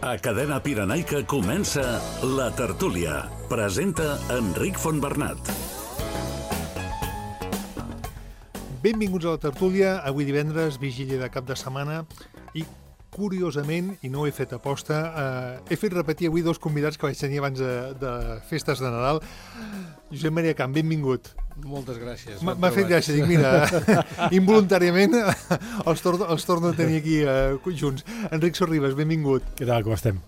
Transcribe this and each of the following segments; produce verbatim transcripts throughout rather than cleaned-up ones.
A Cadena Pirenaica comença La Tertúlia. Presenta Enric Fontbernat. Benvinguts a La Tertúlia. Avui divendres, vigília de cap de setmana i, curiosament, i no ho he fet aposta, eh, he fet repetir avui dos convidats que vaig tenir abans de, de festes de Nadal. Josep Maria Camp, benvingut. Moltes gràcies. M'ha fet gràcia, dic, mira, involuntàriament els torno, els torno a tenir aquí eh, junts. Enric Sorribes, benvingut. Què tal, com estem?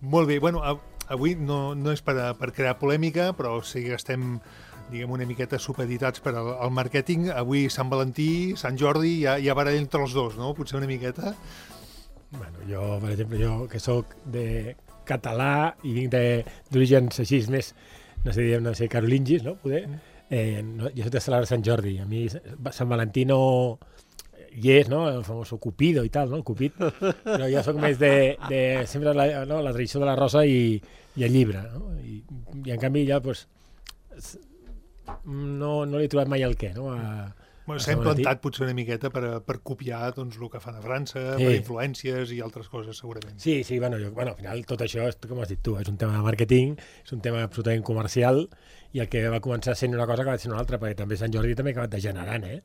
Molt bé, bueno, avui no, no és per, a, per crear polèmica, però sí que estem, diguem, una miqueta supeditats per al, al màrqueting. Avui Sant Valentí, Sant Jordi, hi ha, hi ha baralla entre els dos, no? Potser una miqueta. Bueno, jo, per exemple, jo que sóc de català i vinc d'orígens així més, no sé, diguem, no sé, carolingis, no? Poder... Eh, no, jo soc de celebrar Sant Jordi. A mi Sant Valentí no hi és, no? El famós Cupido i tal, no? El Cupid. Però jo sóc més de, de sempre la, no? la tradició de la rosa i, i el llibre, no? I, i en canvi ja, doncs, no, no li he trobat mai el què, no? A, bueno, s'ha implantat potser una miqueta per, per copiar doncs, el que fan a França, sí. Per influències i altres coses, segurament. Sí, sí, bueno, jo, bueno, al final tot això, és, com has dit tu, és un tema de màrqueting, és un tema absolutament comercial, i el que va començar sent una cosa que va ser una altra, perquè també Sant Jordi també ha acabat degenerant, eh?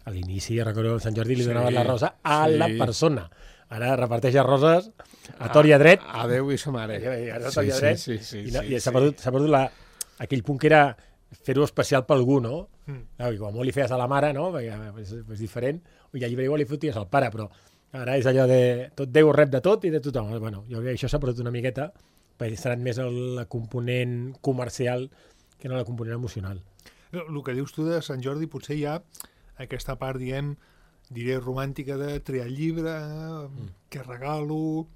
A l'inici, recordo, Sant Jordi li donaven sí, la rosa a sí. la persona. Ara reparteix roses a tor i a dret. A Déu i sa mare. A tor i a dret. Sí, sí, sí, I, no, sí, i s'ha sí. perdut, s'ha perdut la, aquell punt que era fer-ho especial per algú, no? Mm. I quan molt li feies a la mare, no? Perquè és, és diferent. I al llibre igual li foties al pare, però ara és allò de tot Déu rep de tot i de tothom. Bueno, jo crec que això s'ha perdut una miqueta, perquè serà més el component comercial que no la component emocional. El que dius tu de Sant Jordi, potser hi ha aquesta part, diguem, diré romàntica de triar el llibre, mm. que regalo,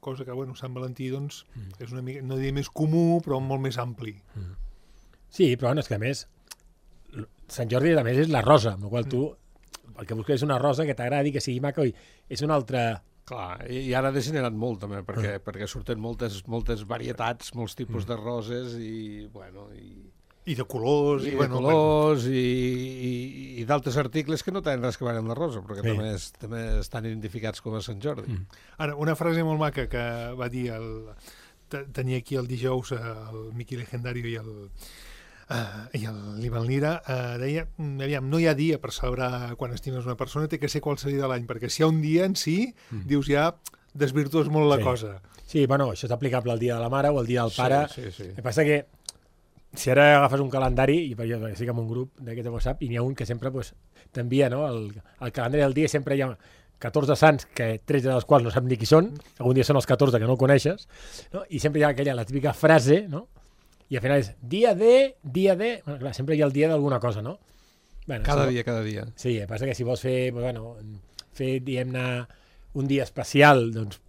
cosa que, bueno, Sant Valentí, doncs, mm. és una mica, no diré més comú, però molt més ampli. Mm. Sí, però bueno, és que a més, Sant Jordi a més és la rosa, amb la qual tu, el que busques és una rosa que t'agradi, que sigui maca, i és una altra... Clar, i ara ha degenerat molt també, perquè, uh. perquè surten moltes, moltes varietats, molts tipus uh. de roses i, bueno... I, I de colors... I, i de bueno, colors bueno. i, i, i d'altres articles que no tenen res que veure amb la rosa, però que sí. també, és, també estan identificats com a Sant Jordi. Mm. Ara, una frase molt maca que va dir el... tenia aquí el dijous el Miqui Legendario i el... Uh, i l'Ivan Lira uh, deia, aviam, no hi ha dia per celebrar quan estimes una persona, té que ser qualsevol dia de l'any, perquè si hi ha un dia en si, mm. dius ja, desvirtues molt la sí. cosa. Sí, bueno, això és aplicable al dia de la mare o al dia del pare. Sí, sí, sí. El que passa que si ara agafes un calendari, i jo estic en un grup d'aquest de WhatsApp, i n'hi ha un que sempre pues, t'envia, no? El, el calendari del dia sempre hi ha catorze sants, que tretze dels quals no saps ni qui són, algun dia són els catorze que no coneixes, no? I sempre hi ha aquella, la típica frase, no? I al final és dia de, dia de... Bueno, clar, sempre hi ha el dia d'alguna cosa, no? Bueno, cada si dia, cada dia. Sí, el que passa que si vols fer, bueno, fer diguem-ne, un dia especial, doncs,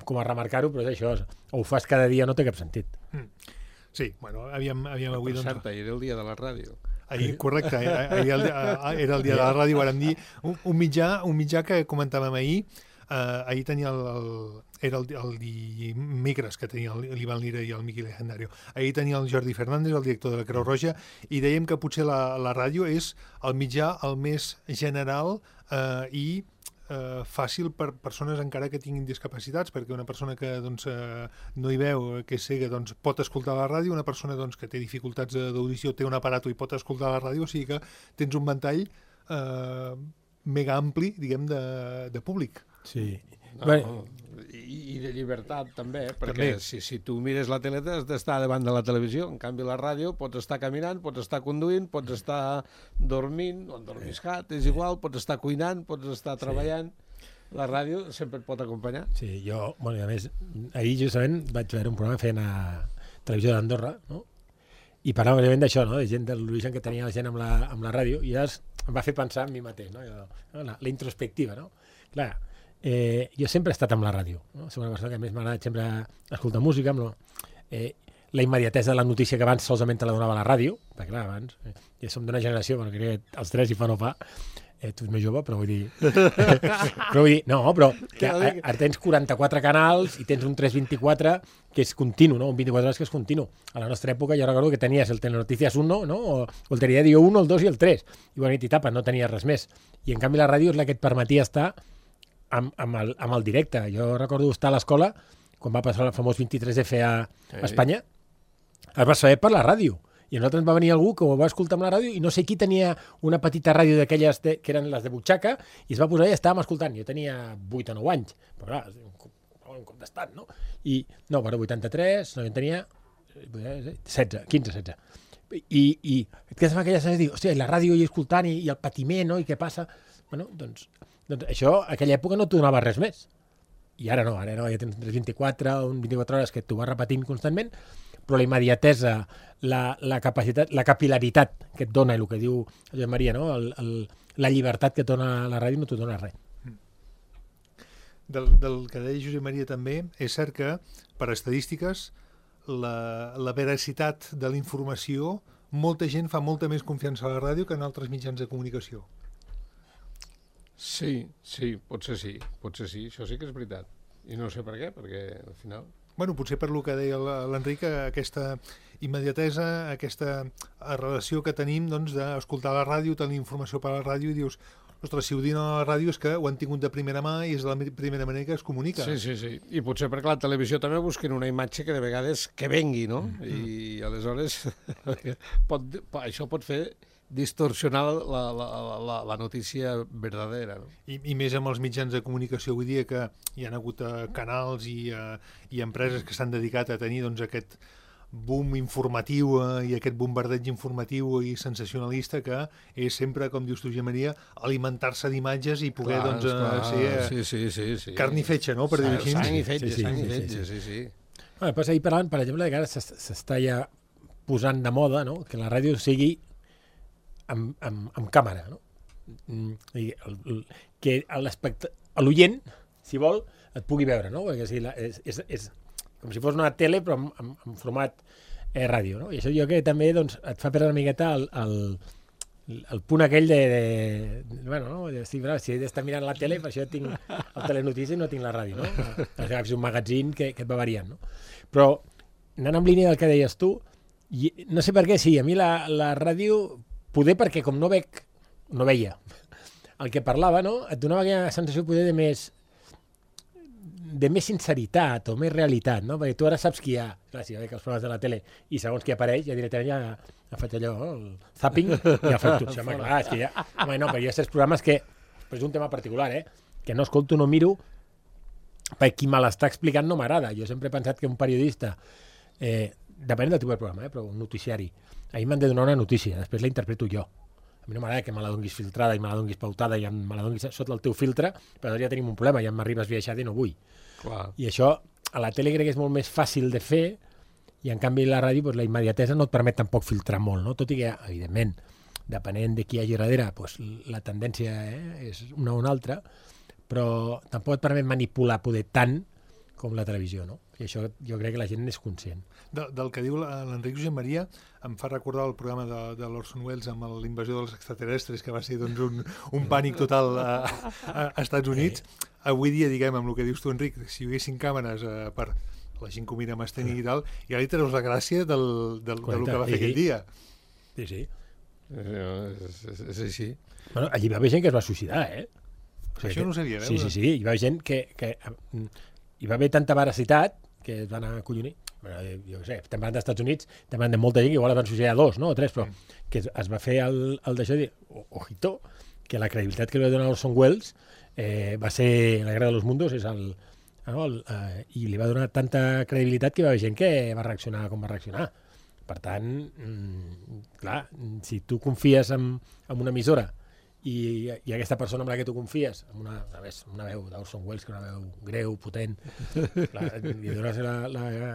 com a remarcar-ho, però és això, o ho fas cada dia no té cap sentit. Mm. Sí, bueno, havíem, havíem avui... Per doncs... cert, ahir era el dia de la ràdio. Ahir, correcte, ahir el, era el dia de la ràdio, vàrem dir, un, un, mitjà, un mitjà que comentàvem ahir, Uh, ahir tenia el, el, era el, el dimecres que tenia l'Ivan Lira i el Miqui Legendario. Ahir tenia el Jordi Fernández, el director de la Creu Roja, i dèiem que potser la, la ràdio és el mitjà el més general uh, i uh, fàcil per persones encara que tinguin discapacitats, perquè una persona que doncs, uh, no hi veu, que és cega, doncs, pot escoltar la ràdio, una persona doncs, que té dificultats d'audició té un aparato i pot escoltar la ràdio, o sigui que tens un ventall uh, mega ampli, diguem, de, de públic. Sí. No, bueno. I, I de llibertat també, perquè també. Si, si tu mires la tele has d'estar davant de la televisió, en canvi la ràdio pots estar caminant, pots estar conduint, pots estar dormint o endormiscat, és igual, pots estar cuinant, pots estar treballant. Sí. La ràdio sempre et pot acompanyar. Sí, jo, bueno, a més, ahir justament vaig veure un programa fent a Televisió d'Andorra, no? I parlava òbviament d'això, no? De gent de l'origen que tenia la gent amb la, amb la ràdio, i llavors em va fer pensar en mi mateix, no? Jo, la, la introspectiva, no? Clar, Eh, jo sempre he estat amb la ràdio, no? Soc una persona que més m'ha agradat sempre escoltar música, amb lo, eh, la immediatesa de la notícia que abans solament te la donava la ràdio, perquè clar, abans eh, ja som d'una generació, bueno, crec que els tres hi fa no fa, eh, tu ets més jove, però vull dir... però vull dir, no, però que ara, ara tens quaranta-quatre canals i tens un tres vint-i-quatre que és continu, no? Un vint-i-quatre hores que és continu. A la nostra època jo recordo que tenies el Telenoticias uno, no? O, o el Telediario uno, el dos i el tres. I bona nit i tapa, no tenies res més. I en canvi la ràdio és la que et permetia estar amb, amb, el, amb el directe. Jo recordo estar a l'escola quan va passar el famós vint-i-tres F a Espanya, es va saber per la ràdio. I a nosaltres va venir algú que ho va escoltar amb la ràdio i no sé qui tenia una petita ràdio d'aquelles de, que eren les de butxaca i es va posar i estàvem escoltant. Jo tenia vuit o nou anys, però clar, un cop, un cop d'estat, no? I, no, però vuitanta-tres, no, jo tenia setze, quinze, setze. I, i et quedes amb aquella sensació de dir, hòstia, la ràdio i escoltant i, i el patiment, no? I què passa? Bueno, doncs, doncs això, a aquella època no t'ho donava res més. I ara no, ara no, ja tens vint-i-quatre o vint-i-quatre hores que t'ho vas repetint constantment, però la immediatesa, la, la capacitat, la capilaritat que et dona, el que diu Josep Maria, no? el, el, la llibertat que et dona la ràdio no t'ho dona res. Del, del que deia Josep Maria també, és cert que, per estadístiques, la, la veracitat de la informació, molta gent fa molta més confiança a la ràdio que en altres mitjans de comunicació. Sí, sí, potser sí, potser sí, això sí que és veritat. I no sé per què, perquè al final... Bueno, potser per lo que deia l'Enric, aquesta immediatesa, aquesta relació que tenim doncs, d'escoltar la ràdio, tenir informació per la ràdio i dius, ostres, si ho diuen a la ràdio és que ho han tingut de primera mà i és de la primera manera que es comunica. Sí, sí, sí. I potser perquè la televisió també busquen una imatge que de vegades que vengui, no? Mm. I aleshores pot, això pot fer distorsionar la, la, la, la notícia verdadera. No? I, I més amb els mitjans de comunicació avui dia que hi ha hagut uh, canals i, uh, i empreses que s'han dedicat a tenir doncs, aquest boom informatiu uh, i aquest bombardeig informatiu i sensacionalista que és sempre, com dius tu, Josep Maria, alimentar-se d'imatges i poder clar, doncs, uh, clar. ser uh, sí, sí, sí, sí. carn i fetge, no? Per dir així. Sang i fetge, sí, sí, sang i sí, fetge, sí, sí, sí. sí. Bueno, pues ahir parlant, per exemple, que ara s'està ja posant de moda, no? Que la ràdio sigui amb, amb, amb càmera, no? I el, el, que l'oient, si vol, et pugui veure, no? Perquè, sí, la, és, és, és com si fos una tele, però en, en, en format eh, ràdio, no? I això jo crec que també doncs, et fa perdre una miqueta el, el, el punt aquell de... de bueno, no? De, sí, però, si he d'estar mirant la tele, per això tinc el telenotícia i no tinc la ràdio, no? És un magazín que, que et va variant, no? Però, anant en línia del que deies tu, i, no sé per què, sí, a mi la, la ràdio... Poder perquè com no veig, no veia el que parlava, no? Et donava aquella sensació poder de més de més sinceritat o més realitat, no? Perquè tu ara saps qui hi ha, clar, si ja veig els programes de la tele i segons qui apareix, ja directament ja, ja faig allò, el zapping, i ja faig tu. Home, clar, és que ja... Home, no, però hi ha certs programes que, però és un tema particular, eh? Que no escolto, no miro, perquè qui me l'està explicant no m'agrada. Jo sempre he pensat que un periodista, eh, depenent del tipus de programa, eh, però un noticiari, a mi m'han de donar una notícia, després la interpreto jo. A mi no m'agrada que me la donguis filtrada i me la donguis pautada i me la donguis sota el teu filtre, però ja tenim un problema, ja m'arribes viatjada i no vull. Clar. I això a la tele crec que és molt més fàcil de fer i en canvi la ràdio, doncs, la immediatesa no et permet tampoc filtrar molt, no? Tot i que, evidentment, depenent de qui hi hagi darrere, doncs, la tendència eh, és una o una altra, però tampoc et permet manipular poder tant com la televisió, no? I això jo crec que la gent n'és conscient. De, del que diu l'Enric Josep Maria em fa recordar el programa de, de l'Orson Welles amb l'invasió dels extraterrestres, que va ser doncs, un, un pànic total a, a, a Estats Units. Avui dia, diguem, amb el que dius tu, Enric, si hi haguessin càmeres eh, per la gent que ho mira amb esteni i tal, ja li treus la gràcia del, del, del que va fer aquell dia. Sí, sí. És així. Bueno, allí va haver gent que es va suïcidar, eh? O sigui, això no ho sabia, sí, sí, sí, hi va haver gent que... que hi va haver tanta veracitat que es van acollonir. Bueno, jo què sé, estem parlant dels Estats Units, estem parlant de molta gent que igual es van suïcidar dos, no? O tres, però que es va fer el, el d'això de dir, ojito, que la credibilitat que li va donar Orson Welles eh, va ser La Guerra de los Mundos, és el, no, el, eh, i li va donar tanta credibilitat que hi va haver gent que va reaccionar com va reaccionar. Per tant, mmm, clar, si tu confies en, en una emissora i, i aquesta persona amb la que tu confies, amb una, a més, una veu d'Orson Welles, que una veu greu, potent, clar, i dones la, la,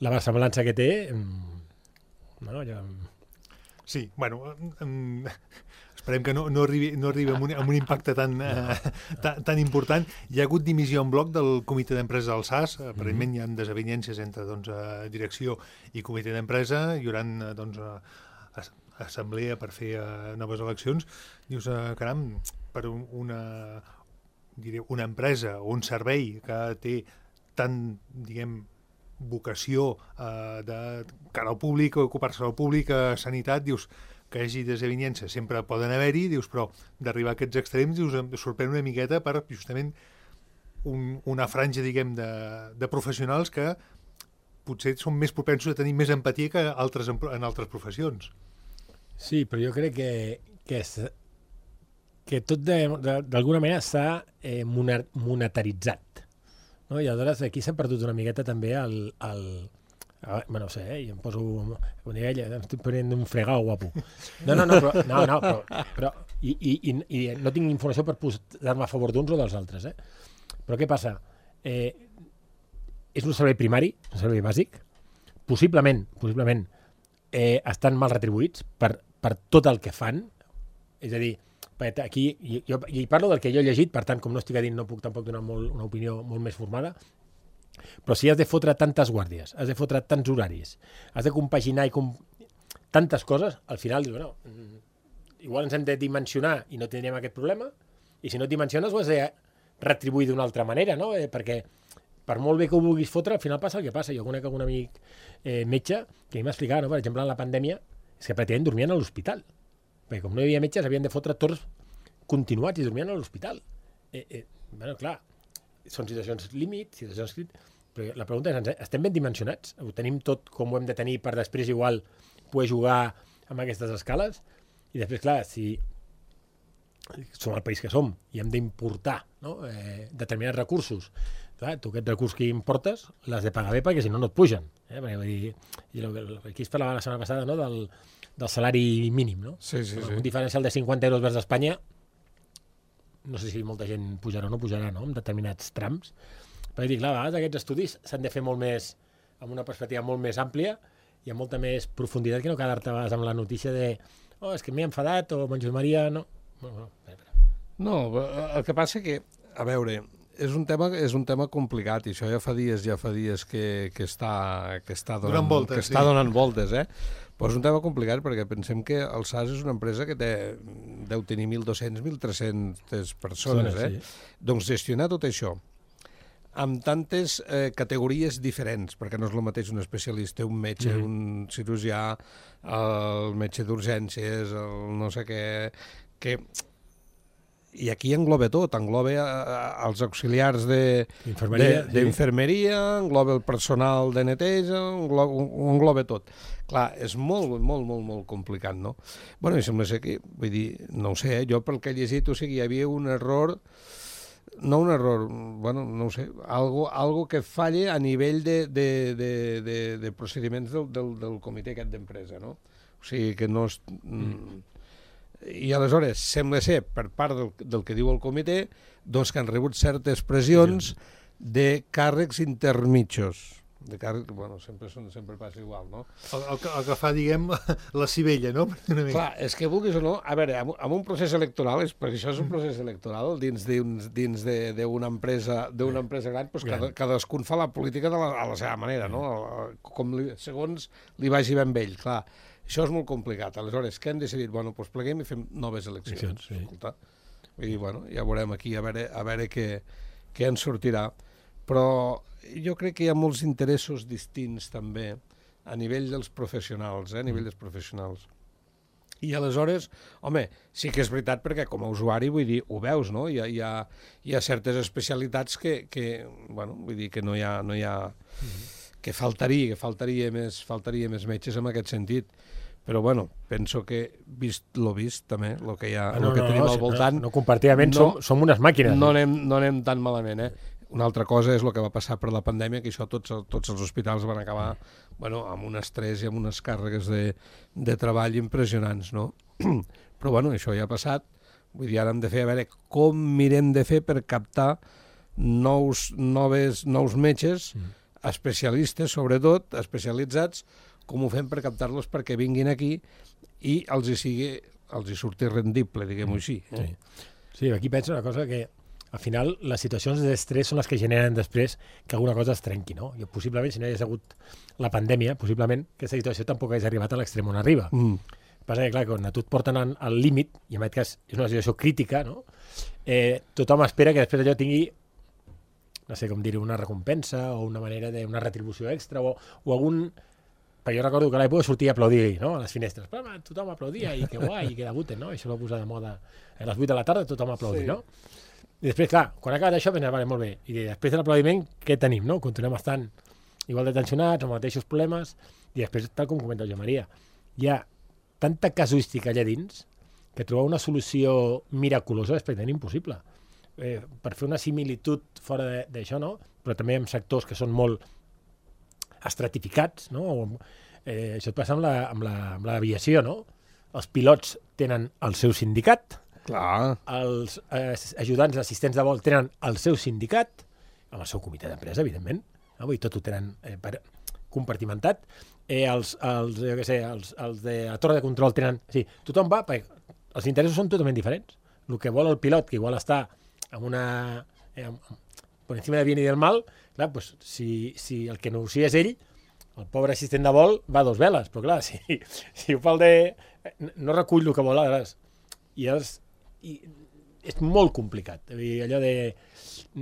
la versemblança que té, no, ja... Sí, bueno, um, esperem que no, no arribi, no arribi amb, un, amb un impacte tan, uh, tan, tan important. Hi ha hagut dimissió en bloc del comitè d'empresa del S A S, aparentment hi ha desavinences entre doncs, direcció i comitè d'empresa, hi haurà doncs, assemblea per fer uh, noves eleccions. Dius, uh, caram, per un, una, diré, una empresa o un servei que té tant, diguem, vocació uh, de cara al públic, ocupar-se del públic, a sanitat, dius, que hi hagi desavinences, sempre poden haver-hi, dius, però d'arribar a aquests extrems, dius, em sorprèn una miqueta per, justament, un, una franja, diguem, de, de professionals que potser són més propensos a tenir més empatia que altres en, en altres professions. Sí, però jo crec que, que, és, que tot d'alguna manera s'ha eh, monetaritzat. No? I aleshores aquí s'ha perdut una miqueta també el... el Ah, bueno, no sé, eh? Jo em poso... Com diria ella, em estic prenent un fregau guapo. No, no, no, però, no, no, però, però i, i, i no tinc informació per posar-me a favor d'uns o dels altres, eh? Però què passa? Eh, és un servei primari, un servei bàsic, possiblement, possiblement eh, estan mal retribuïts per, per tot el que fan, és a dir, aquí, jo, i parlo del que jo he llegit, per tant, com no estic a dins, no puc tampoc donar molt, una opinió molt més formada, però si has de fotre tantes guàrdies, has de fotre tants horaris, has de compaginar i com... tantes coses, al final dius, bueno, igual ens hem de dimensionar i no tindríem aquest problema, i si no et dimensiones ho has de retribuir d'una altra manera, no? Eh, perquè per molt bé que ho vulguis fotre, al final passa el que passa. Jo conec algun amic eh, metge que m'ha explicat, no? Per exemple, en la pandèmia, és que pràcticament dormien a l'hospital, perquè com no hi havia metges havien de fotre torns continuats i dormien a l'hospital. Eh, eh, bueno, clar, són situacions límit, situacions límit, però la pregunta és, estem ben dimensionats? Ho tenim tot com ho hem de tenir per després igual poder jugar amb aquestes escales? I després, clar, si som el país que som i hem d'importar, no? eh, determinats recursos, clar, tu aquests recursos que importes l'has de pagar bé perquè si no no et pugen. Eh? Perquè, vull dir, aquí es parlava la setmana passada, no? del, del salari mínim. No? Sí, sí, sí. Un diferencial de cinquanta euros vers Espanya, no sé si molta gent pujarà o no pujarà, no? En determinats trams. Però dic, clar, a vegades aquests estudis s'han de fer molt més, amb una perspectiva molt més àmplia i amb molta més profunditat que no quedar-te a vegades amb la notícia de oh, és que m'he enfadat o mon Josep Maria, no. No, no, no, el que passa que, a veure, és un tema, és un tema complicat i això ja fa dies, ja fa dies que, que està, que està donant, donant voltes, que està sí. donant voltes, eh? Però és un tema complicat perquè pensem que el S A S és una empresa que té, deu tenir mil dos-cents, mil tres-cents persones, eh? Sí. Doncs gestionar tot això amb tantes eh, categories diferents, perquè no és el mateix un especialista, un metge, mm. un cirurgià, el metge d'urgències, el no sé què, que... I aquí engloba tot, engloba els auxiliars d'infermeria, engloba el personal de neteja, engloba, engloba tot. Clar, és molt, molt, molt, molt complicat, no? Bueno, i sembla ser que, vull dir, no ho sé, jo pel que he llegit, o sigui, hi havia un error, no un error, bueno, no ho sé, algo, algo que falle a nivell de, de, de, de, de procediments del, del, del comitè aquest d'empresa, no? O sigui, que no és... Mm. I aleshores sembla ser, per part del, del que diu el comitè, doncs que han rebut certes pressions de càrrecs intermitjos. De càrrecs, bueno, sempre, són, sempre passa igual, no? El, el, que, el que fa, diguem, la civella, no? Clar, és que vulguis o no, a veure, amb, amb un procés electoral, és, perquè això és un procés electoral dins d'una dins empresa, d'una empresa gran, doncs cada, cadascun fa la política de la, a la seva manera, no? Com li, segons li vagi ben vell, clar. Això és molt complicat. Aleshores, què hem decidit? Bueno, doncs pleguem i fem noves eleccions. Sí. Escolta. I, bueno, ja veurem aquí, a veure, a veure què, què en sortirà. Però jo crec que hi ha molts interessos distints també a nivell dels professionals, eh? a nivell dels professionals. I aleshores, home, sí que és veritat perquè com a usuari, vull dir, ho veus, no? Hi ha, hi ha, hi ha certes especialitats que, que, bueno, vull dir que no hi ha... No hi ha mm-hmm. que faltaria, que faltaria més, faltaria més metges en aquest sentit. Però, bueno, penso que, vist lo vist, també, el que, hi ha, no, el que no, tenim no, al voltant... No, no compartidament, no, som, som unes màquines. No anem, no anem tan malament, eh? Una altra cosa és el que va passar per la pandèmia, que això tots, tots els hospitals van acabar bueno, amb un estrès i amb unes càrregues de, de treball impressionants, no? Però, bueno, això ja ha passat. Vull dir, ara hem de fer, a veure, com mirem de fer per captar nous, noves, nous metges, mm. especialistes, sobretot, especialitzats, com ho fem per captar-los perquè vinguin aquí i els hi sigui, els hi surti rendible, diguem-ho així. Eh? Sí. sí, aquí penso una cosa que al final les situacions d'estrès són les que generen després que alguna cosa es trenqui, no? Jo, possiblement, si no hi hagués hagut la pandèmia, possiblement aquesta situació tampoc hagués arribat a l'extrem on arriba. Mm. Passa que, clar, quan a tu et porten al límit, i en aquest cas és una situació crítica, no? Eh, tothom espera que després allò tingui no sé com dir-ho, una recompensa o una manera de una retribució extra o, o algun... perquè jo recordo que a l'època sortia a aplaudir, no?, a les finestres. Però, home, tothom aplaudia, i que guai, i que debuten, no? I això va posar de moda. A les vuit de la tarda tothom aplaudir, sí. no? I després, clar, quan ha acabat això, pensava, vale, molt bé. I després de l'aplaudiment, què tenim, no? Continuem estant igual de tensionats, amb els mateixos problemes, i després, tal com comenta el Joan Maria, hi ha tanta casuística allà dins que trobar una solució miraculosa és pràcticament impossible. Eh, per fer una similitud fora d'això, no? Però també en sectors que són molt estratificats, no? Eh, això et passa amb la, amb la, amb l'aviació, no? Els pilots tenen el seu sindicat, Clar. els eh, ajudants, assistents de vol tenen el seu sindicat, amb el seu comitè d'empresa, evidentment, no? Vull dir, tot ho tenen eh, per, compartimentat. Eh, els, els, jo què sé, els, els de la torre de control tenen... Sí, tothom va, perquè els interessos són totalment diferents. El que vol el pilot, que igual està amb una... Eh, per encima del bien i del mal, clar, pues, si, si el que negocia és ell, el pobre assistent de vol va a dos veles, però clar, si, si ho fa el de... No recull el que vol, aleshores. I, és, i és molt complicat. Dir, allò de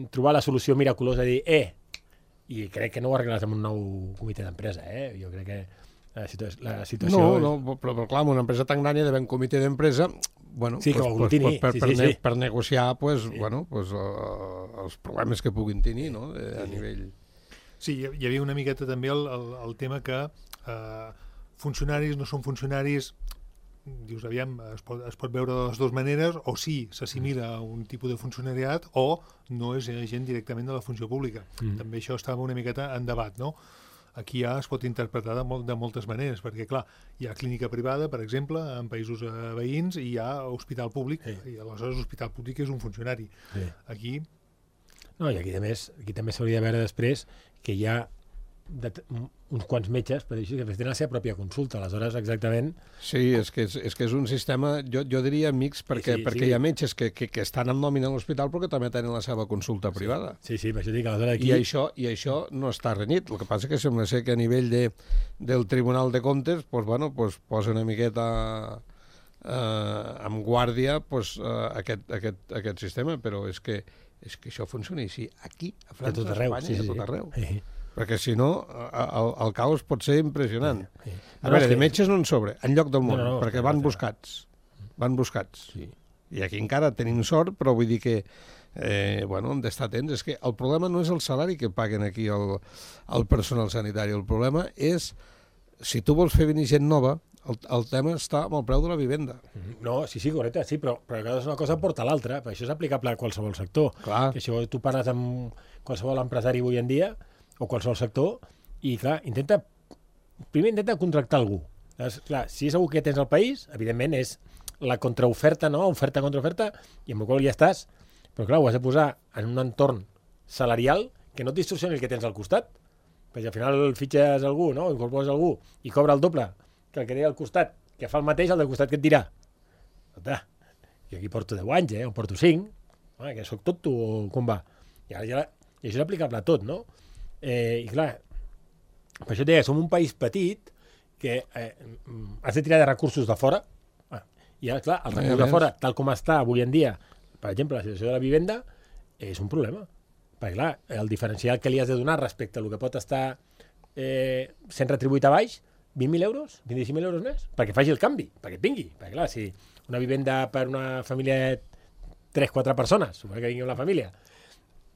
trobar la solució miraculosa, de dir, eh, i crec que no ho arregles amb un nou comitè d'empresa, eh? Jo crec que la situació... La situació no, és... no, però, però clar, una empresa tan gran hi ha d'haver un comitè d'empresa, bueno, sí, pues, pues, pues, per, sí, per, sí, ne sí. per negociar pues, Sí. bueno, pues, uh, els problemes que puguin tenir, no?, de, a nivell... Sí, hi havia una miqueta també el, el, el tema que eh, funcionaris no són funcionaris, dius, aviam, es pot, es pot veure de les dues maneres, o sí, s'assimila a un tipus de funcionariat, o no és gent directament de la funció pública. Mm. També això estava una miqueta en debat, no? Aquí ja es pot interpretar de, molt, de moltes maneres, perquè, clar, hi ha clínica privada, per exemple, en països eh, veïns, i hi ha hospital públic, sí. I aleshores l'hospital públic és un funcionari. Sí. Aquí... No, i aquí, a més, aquí també s'hauria de veure després que hi ha de, uns quants metges, per dir que tenen la seva pròpia consulta, aleshores exactament... Sí, és que és, és, que és un sistema, jo, jo diria mix, perquè, sí, perquè sí. Hi ha metges que, que, que estan en nòmina a l'hospital però que també tenen la seva consulta privada. Sí, sí, per això dic que aleshores aquí... I això, i això no està renyit, el que passa que sembla ser que a nivell de, del Tribunal de Comptes pues, bueno, pues, posa una miqueta eh, amb guàrdia pues, eh, aquest, aquest, aquest sistema, però és que, és que això funciona així aquí, a França, a Espanya, sí, sí, a tot arreu. Sí. Perquè si no, el, el caos pot ser impressionant. Sí, sí. A veure, de metges no en sobre, en lloc del món, no, no, perquè van buscats. Van buscats. Sí. I aquí encara tenim sort, però vull dir que eh, bueno, hem d'estar atents. És que el problema no és el salari que paguen aquí el, el personal sanitari. El problema és, si tu vols fer venir gent nova, el, el tema està amb el preu de la vivenda. No, sí, sí, correcte, sí, però, però una cosa porta a l'altra. Això és aplicable a qualsevol sector. Clar. Que això tu parles amb qualsevol empresari avui en dia, o qualsevol sector, i clar, intenta primer intenta contractar algú. Llavors, clar, si és algú que tens al país, evidentment és la contraoferta, no? Oferta contra oferta, i amb el qual ja estàs, però clar, ho has de posar en un entorn salarial que no et distorsioni el que tens al costat, perquè al final fitxes algú, no? Incorpores algú i cobra el doble que el que té al costat, que fa el mateix, el del costat que et dirà. Escolta, jo aquí porto deu anys, eh? O porto cinc, ah, que soc tot tu, o com va? I, ara ja, i això és aplicable a tot, no? Eh, i clar, per això et deia, som un país petit que eh, has de tirar de recursos de fora, ah, i ara, clar, el recurs de fora, tal com està avui en dia, per exemple, la situació de la vivenda, és un problema, perquè clar, el diferencial que li has de donar respecte a el que pot estar eh, sent retribuït a baix, vint mil euros, vint-i-cinc mil euros més, perquè faci el canvi, perquè vingui, perquè clar, si una vivenda per una família de tres quatre persones, suposo que vingui una família,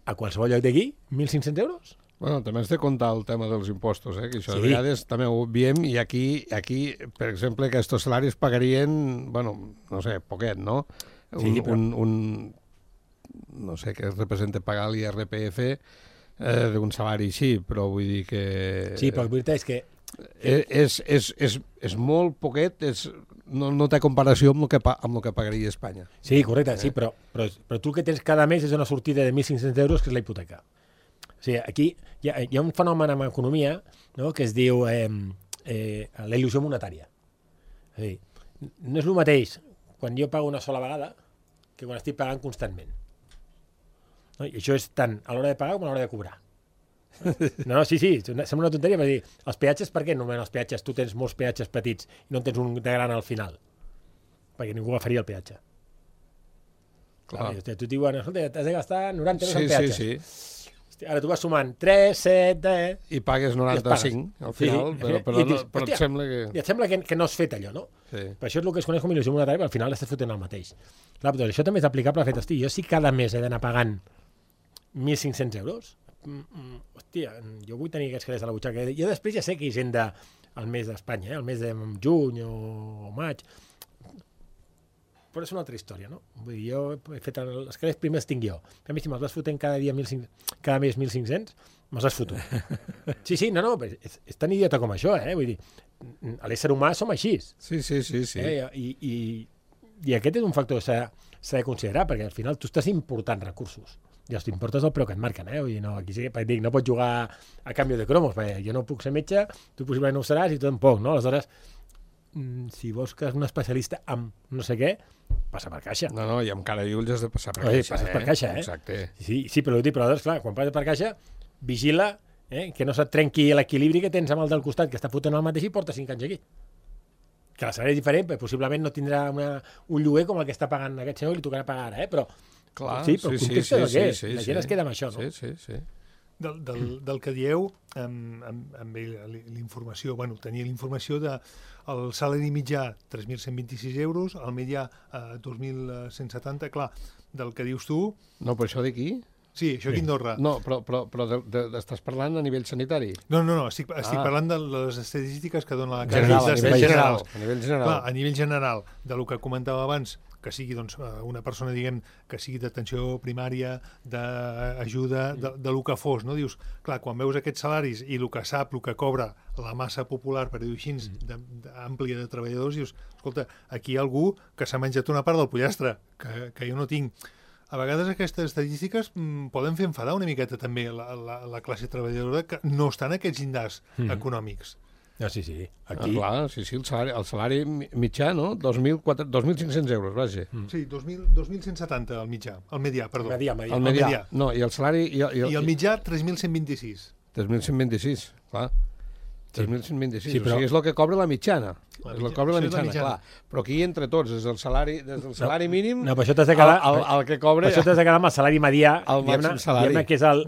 a qualsevol lloc d'aquí, mil cinc-cents euros. Bueno, també has de comptar el tema dels impostos, eh? Que això sí. De vegades també ho veiem, i aquí, aquí per exemple, aquests salaris pagarien, bueno, no sé, poquet, no? Un, sí, però... un, un, no sé què representa pagar l'I R P F eh, d'un salari així, però vull dir que... Sí, però la veritat és que... És, és, és, és molt poquet, és, no, no té comparació amb el que, pa, amb el que pagaria Espanya. Sí, correcte, eh? Sí, però, però, però tu el que tens cada mes és una sortida de mil cinc-cents euros, que és la hipoteca. O sigui, aquí hi ha, hi ha un fenomen en economia, no?, que es diu eh, eh, la il·lusió monetària. És a dir, no és el mateix quan jo pago una sola vegada que quan estic pagant constantment. No? I això és tant a l'hora de pagar com a l'hora de cobrar. No, no, sí, sí, sembla una tonteria, però dir, els peatges, per què només els peatges tu tens molts peatges petits i no en tens un de gran al final? Perquè ningú agafaria el peatge. Clar. Clar, tu et diuen, escolta, t'has de gastar noranta euros sí, en peatges. Sí, sí. Ara tu vas sumant tres, set, deu... I pagues noranta-cinc, al final, sí, però, i però, dius, no, però hòstia, et sembla que... I et sembla que, que no has fet allò, no? Sí. Per això és el que es coneix com il·lusió monetària, però al final estàs fotent el mateix. Clar, doncs això també és aplicable al fet, hosti, jo si cada mes he d'anar pagant mil cinc-cents euros, mm, mm, hòstia, jo vull tenir aquests calés a la butxaca. Jo després ja sé que hisenda al mes d'Espanya, eh? El mes de juny o, o maig, però és una altra història, no? Vull dir, jo he fet el, els calés primers tinc jo. A mi si me'ls vas fotent cada dia mil cinc cents, cada mes mil cinc-cents, me'ls has fotut. Sí, sí, no, no, és, és tan idiota com això, eh? Vull dir, a l'ésser humà som així. Sí, sí, sí, sí. Eh? I, i, I aquest és un factor que s'ha de considerar, perquè al final tu estàs important recursos. I els t'importes el preu que et marquen, eh? Vull dir, no, aquí sí que dic, no pots jugar a canvi de cromos, perquè jo no puc ser metge, tu possiblement no ho seràs i tu tampoc, no? Aleshores, si vols que és un especialista amb no sé què, passa per caixa. No, no, i amb cara i ulls has de passar per Oi, caixa. passes eh? per caixa, eh? Exacte. Sí, sí, però, dic, però aleshores, clar, quan passes per caixa, vigila eh, que no se't trenqui l'equilibri que tens amb el del costat, que està fotent el mateix i porta cinc anys aquí. Que la salari és diferent, perquè possiblement no tindrà una, un lloguer com el que està pagant aquest senyor i li tocarà pagar ara, eh? Però, Clar, sí, però el sí, context sí, és el que sí, és. sí, La sí. gent es queda amb això, no? Sí, sí, sí. Del, del, del que dieu, amb, amb, amb l'informació, bueno, tenia l'informació de el salari mitjà tres mil cent vint-i-sis euros, el mitjà eh, dos mil cent setanta, clar, del que dius tu... No, però això d'aquí? Sí, això aquí a Andorra. No, però, però, però de, de, estàs parlant a nivell sanitari? No, no, no, estic, estic Ah. parlant de les estadístiques que dona la General, a Càritas nivell general. general. A nivell general. Clar, a nivell general, del que comentava abans, que sigui doncs, una persona, diguem, que sigui d'atenció primària, d'ajuda, de, de lo que fos, no? Dius, clar, quan veus aquests salaris i el que sap, el que cobra la massa popular, per dir-ho així, de, de, àmplia de treballadors, dius, escolta, aquí hi ha algú que s'ha menjat una part del pollastre, que, que jo no tinc. A vegades aquestes estadístiques mm, poden fer enfadar una miqueta també la, la, la classe treballadora que no està en aquests llindars Mm. econòmics. Ah, sí, sí. Ah, Aquí... clar, sí, sí, el salari, el salari mitjà, no? dos mil cinc-cents euros, vaja. Mm. Sí, dos mil cent setanta el mitjà, el medià, perdó. Medià, medià. El medià. medià. No, i el salari... I el, i el, I el mitjà, tres mil cent vint-i-sis. tres mil cent vint-i-sis, clar. tres mil cent vint-i-sis, Sí, però- o sigui, és el que cobra la mitjana. La és el que mitja- cobra la això és la mitjana, mitjana. clar. Però aquí entre tots, des del salari, des del salari mínim, No, per això t'has de quedar... el, el, el que cobra... Per això t'has de quedar amb el salari medià, El diguem-ne, màxim salari. diguem-ne que és el,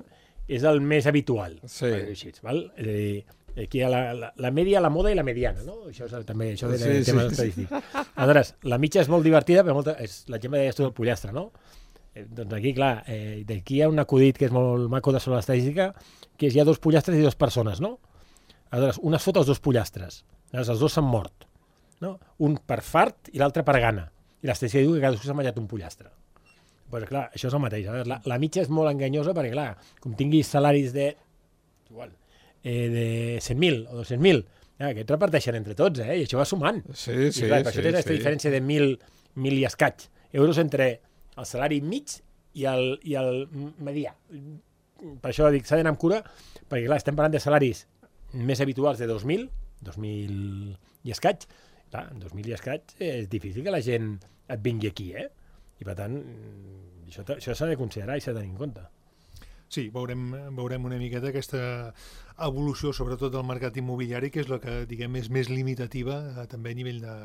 és el més habitual. Sí. per dir-ho així, val? És a dir, aquí hi ha la, la, la media, la moda i la mediana, no? Això és, també això de, Sí, de sí, temes sí. estadístics. Aleshores, la mitja és molt divertida, però molta, és, la gent me deia tu del pollastre, no? Eh, doncs aquí, clar, eh, d'aquí hi ha un acudit que és molt maco de sobre l'estadística, que és hi ha dos pollastres i dues persones, no? Aleshores, un es fot els dos pollastres, aleshores els dos s'han mort, no? Un per fart i l'altre per gana. I l'estadística diu que cadascú s'ha menjat un pollastre. Pues clar, això és el mateix. A veure, la, la mitja és molt enganyosa perquè, clar, com tinguis salaris de, igual, eh, de cent mil o dos-cents mil, ja, que et reparteixen entre tots, eh? I això va sumant. Sí, I sí, clar, per sí, això tens aquesta sí. diferència de mil, mil i escaig euros entre el salari mig i el, i el medià. Per això dic, s'ha d'anar amb cura, perquè clar, estem parlant de salaris més habituals de dos mil, dos mil i escaig. Clar, en dos mil i escaig és difícil que la gent et vingui aquí, eh? I per tant, això, això s'ha de considerar i s'ha de tenir en compte. Sí, veurem, veurem una miqueta aquesta evolució, sobretot del mercat immobiliari, que és la que, diguem, és més limitativa eh, també a nivell de,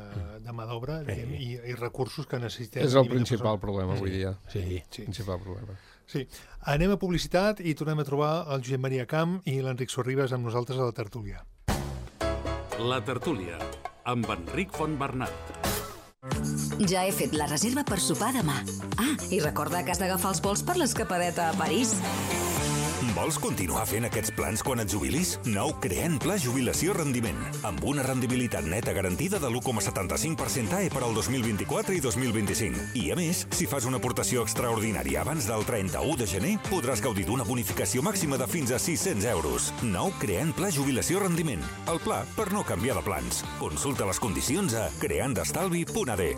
de mà d'obra, diguem, i, i recursos que necessitem. És a el nivell de principal persones. problema avui dia. Sí. Sí. Principal problema. Sí. Anem a publicitat i tornem a trobar el Josep Maria Camp i l'Enric Sorribes amb nosaltres a la tertúlia. La tertúlia, amb Enric Fontbernat. Ja he fet la reserva per sopar demà. Ah, i recorda que has d'agafar els vols per l'escapadeta a París. Vols continuar fent aquests plans quan et jubilis? Nou Creant Pla Jubilació Rendiment, amb una rendibilitat neta garantida de l'u coma setanta-cinc per cent A E per al dos mil vint-i-quatre i dos mil vint-i-cinc. I a més, si fas una aportació extraordinària abans del trenta-u de gener, podràs gaudir d'una bonificació màxima de fins a sis-cents euros. Nou Creant Pla Jubilació Rendiment, el pla per no canviar de plans. Consulta les condicions a creandestalvi punt a d.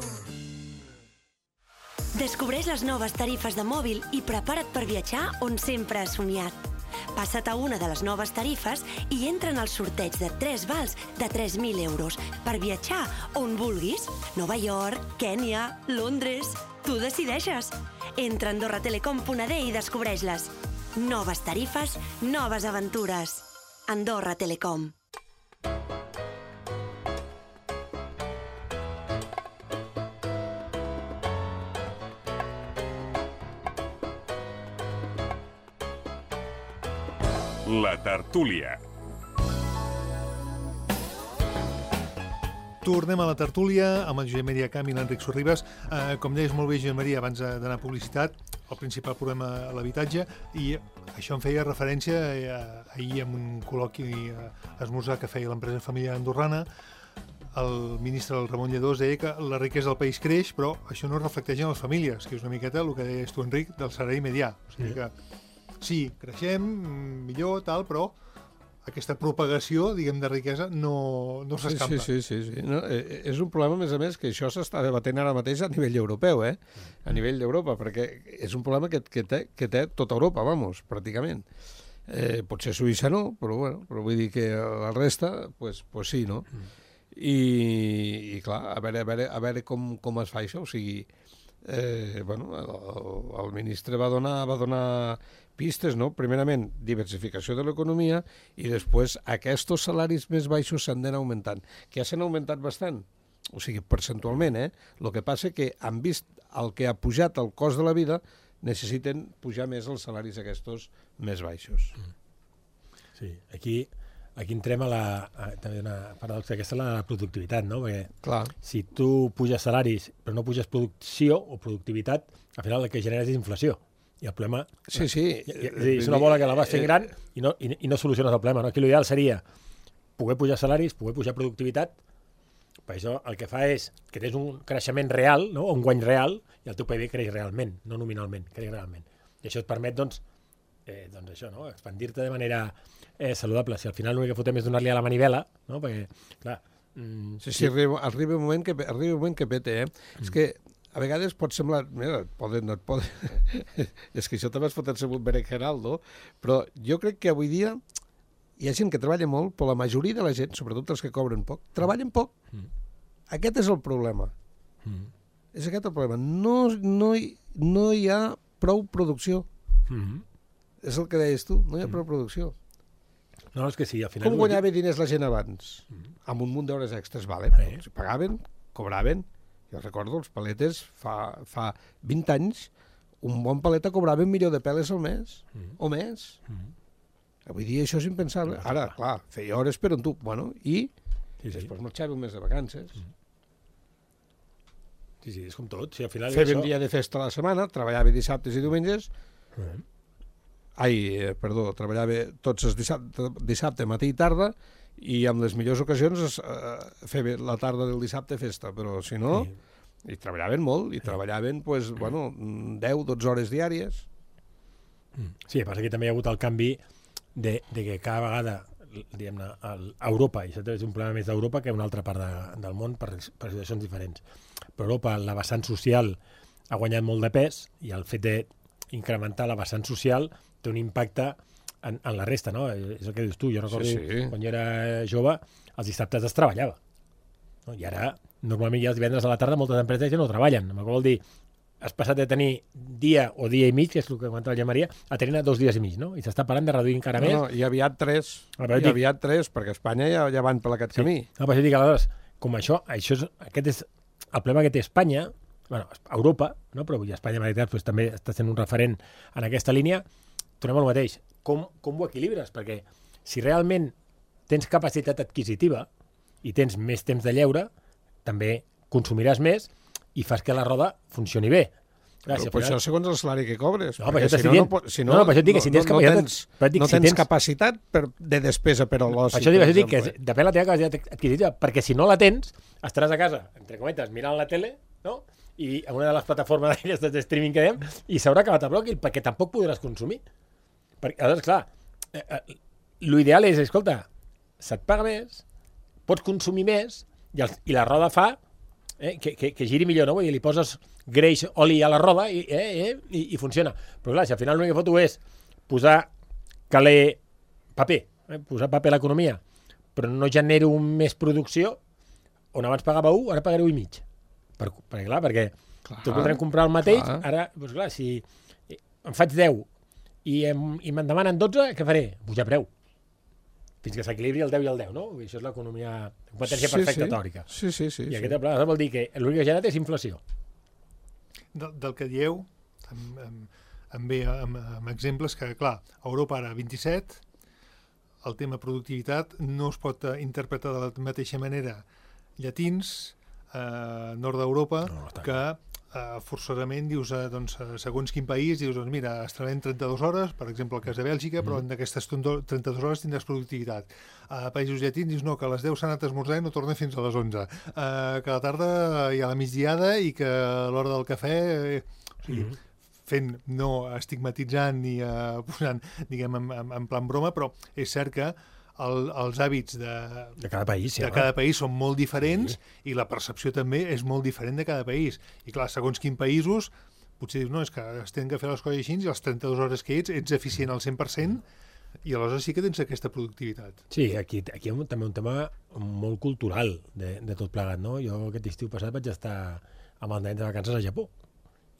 Descobreix les noves tarifes de mòbil i prepara't per viatjar on sempre has somiat. Passa't a una de les noves tarifes i entra en el sorteig de tres vals de tres mil euros per viatjar on vulguis. Nova York, Kènia, Londres... Tu decideixes. Entra a andorra telecom punt a d i descobreix-les. Noves tarifes, noves aventures. Andorra Telecom. La tertúlia. Tornem a la tertúlia amb el Josep Maria Camp i l'Enric Sorribas. Eh, com deies molt bé, Josep Maria, abans d'anar a publicitat, el principal problema a l'habitatge, i això em feia referència eh, ahir en un col·loqui eh, esmorzar que feia l'empresa familiar andorrana. El ministre, el Ramon Lledós, deia que la riquesa del país creix, però això no es reflecteix en les famílies, que és una miqueta el que deies tu, Enric, del salari medià. O sigui que sí, creixem, millor, tal, però aquesta propagació, diguem, de riquesa no, no s'escampa. Sí, sí, sí. sí, sí. No, eh, és un problema, a més a més, que això s'està debatent ara mateix a nivell europeu, eh? A nivell d'Europa, perquè és un problema que, que, té, que té tota Europa, vamos, pràcticament. Eh, potser Suïssa no, però, bueno, però vull dir que la resta, pues, pues sí, no? I, i clar, a veure, a veure, a veure com, com es fa això, o sigui, eh, bueno, el, el ministre va donar, va donar pistes, no? Primerament, diversificació de l'economia i després aquests salaris més baixos s'han d'anar augmentant, que ja s'han augmentat bastant, o sigui, percentualment, eh? El que passa que han vist el que ha pujat el cost de la vida, necessiten pujar més els salaris aquests més baixos. Sí, aquí... Aquí entrem a la... A, també una paradoxa, aquesta és la productivitat, no? Perquè clar, si tu puges salaris però no puges producció o productivitat, al final el que generes és inflació. I el problema... Sí, sí. És, dir, és una bola que la vas fent gran i no, i, i no soluciones el problema, no? Aquí l'ideal seria poder pujar salaris, poder pujar productivitat, per això el que fa és que tens un creixement real, no? Un guany real, i el teu P I B creix realment, no nominalment, creix realment. I això et permet, doncs, eh, doncs això, no? Expandir-te de manera eh, saludable. Si al final l'únic que fotem és donar-li a la manivela, no? Perquè, clar... Mm, sí, sí, arriba, arriba, un moment que, arriba un moment que pete, eh? Mm. És que a vegades pot semblar... Mira, et poden, no et poden... és que això també es pot ser un berenjenal, no? Però jo crec que avui dia hi ha gent que treballa molt, però la majoria de la gent, sobretot els que cobren poc, treballen poc. Mm. Aquest és el problema. Mm. És aquest el problema. No, no, hi, no hi ha prou producció. Mm. És el que deies tu, no hi ha prou producció. No, és que sí, al final... Com guanyava diners la gent abans? Mm. Amb un munt d'hores extres, vale? Sí. Si pagaven, cobraven. Jo recordo, els paletes, fa, fa vint anys, un bon paleta cobrava un milió de peles al mes, mm. o més. Mm. Avui dia això és impensable. No, ara, clar, feia hores per on tu... Bueno, i sí, sí. després marxava un mes de vacances. Mm. Sí, sí, és com tot. Sí, al final feia això... un dia de festa a la setmana, treballava dissabtes i diumenges... Mm. Ai, eh, perdó, treballava tots els dissabte, dissabte, matí i tarda, i en les millors ocasions es, eh, feia la tarda del dissabte festa, però si no, sí. I treballaven molt, i sí. treballaven, pues, bueno, deu dotze hores diàries. Sí, passa que també hi ha hagut el canvi de, de que cada vegada, diguem-ne, a Europa, i això és un problema més d'Europa que una altra part de, del món per, per situacions diferents. Però Europa, la vessant social ha guanyat molt de pes, i el fet d'incrementar la vessant social té un impacte en, en la resta, no? És el que dius tu. Jo recordo, sí, sí. Quan jo era jove, els dissabtes es treballava. No? I ara, normalment ja els divendres a la tarda moltes empreses ja no treballen. Amb vol dir, has passat de tenir dia o dia i mig, que és el que comentava el Jean Maria, a tenir dos dies i mig, no? I s'està parlant de reduir encara no, més. No, i aviat tres. I dic... aviat tres, perquè a Espanya ja, ja van per aquest sí. camí. No, però jo dic, aleshores, com això, això és, aquest és el problema que té Espanya, bueno, Europa, no? Però avui Espanya, en realitat, pues, també està sent un referent en aquesta línia. Tornem al mateix. Com, com ho equilibres? Perquè si realment tens capacitat adquisitiva i tens més temps de lleure, també consumiràs més i fas que la roda funcioni bé. Clar, si però final... això segons el salari que cobres. No, però si no, no, no, si no, no, no, això dic que si tens, no, no tens, dic, no si tens tens... capacitat per, de despesa per a l'oci. Per això dic, per dic que depèn de la teva capacitat adquisitiva, perquè si no la tens, estaràs a casa, entre cometes, mirant la tele, no? I a una de les plataformes d'aquestes de streaming que dèiem, i s'haurà acabat el bloc, perquè tampoc podràs consumir. Perquè, aleshores, clar, eh, eh, l'ideal és, escolta, se't paga més, pots consumir més, i, el, i la roda fa eh, que, que, que giri millor, no? Vull dir, li poses greix, oli a la roda i, eh, eh, i, i funciona. Però clar, si al final l'únic que foto és posar caler paper, eh, posar paper a l'economia, però no genero més producció, on abans pagava un, ara pagaré un i mig. Per, perquè clar, perquè clar, tu podrem comprar el mateix, clar. Ara, doncs clar, si em faig deu i, em, i me'n demanen dotze, què faré? Pujar preu. Fins que s'equilibri el deu i el deu, no? I això és l'economia, competència sí, perfecta sí. teòrica. Sí, sí, sí. I sí. aquest problema vol dir que l'únic que genera és inflació. Del, del que dieu, em, em, em ve amb, amb exemples que, clar, a Europa ara vint-i-set, el tema productivitat no es pot interpretar de la mateixa manera llatins, eh, nord d'Europa, no, no, que eh, forçosament dius, eh, doncs, segons quin país, dius, doncs mira, es treballen trenta-dues hores, per exemple, el cas de Bèlgica, mm. però en aquestes trenta-dues hores tindràs productivitat. A països llatins dius, no, que a les deu s'ha anat a esmorzar i no torna fins a les onze. Eh, que a la tarda hi ha la migdiada i que a l'hora del cafè... Eh, o sigui, mm. fent, no estigmatitzant ni uh, posant, diguem, en, en, en plan broma, però és cert que el, els hàbits de, de cada país, sí, de cada país són molt diferents, sí. I la percepció també és molt diferent de cada país. I clar, segons quins països, potser dius, no, és que es tenen que fer les coses així i a les trenta-dues hores que ets, ets eficient al cent per cent i aleshores sí que tens aquesta productivitat. Sí, aquí, aquí hi ha també un tema molt cultural de, de tot plegat, no? Jo aquest estiu passat vaig estar amb els nens de vacances a Japó.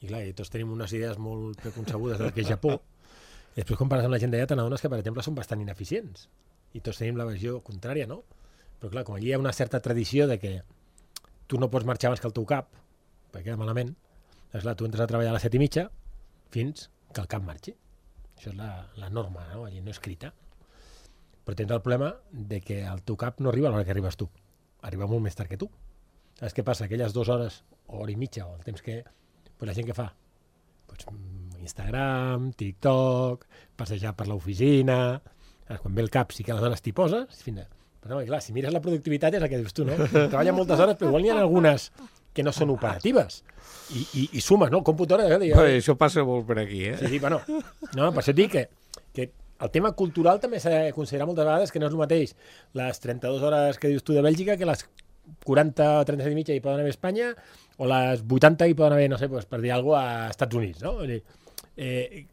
I clar, i tots tenim unes idees molt preconcebudes del que és Japó. I després, quan parles amb la gent d'allà, t'adones que, per exemple, són bastant ineficients. I tots tenim la versió contrària, no? Però clar, com allí hi ha una certa tradició de que tu no pots marxar abans que el teu cap, perquè queda malament, doncs clar, tu entres a treballar a les set i mitja fins que el cap marxi. Això és la, la norma, no? Allí no escrita. Però tens el problema de que el teu cap no arriba a l'hora que arribes tu. Arriba molt més tard que tu. Saps què passa? Aquelles dues hores, o hora i mitja, o el temps que... Pues la gent que fa? Pues Instagram, TikTok, passejar per l'oficina... Quan ve el cap sí que aleshores t'hi poses... Fins a... Però no, clar, si mires la productivitat és el que dius tu, no? Treballa moltes hores, però igual n'hi ha algunes que no són operatives. I, i, i sumes, no? El computador... Eh? Però això passa molt per aquí, eh? Sí, sí, bueno. No, per això et dic que, que el tema cultural també s'ha de considerar moltes vegades que no és el mateix les trenta-dues hores que dius tu de Bèlgica que les quaranta o trenta-set i mitja hi poden haver a Espanya o les vuitanta hi poden haver, no sé, pues, per dir alguna cosa, a Estats Units, no? Eh,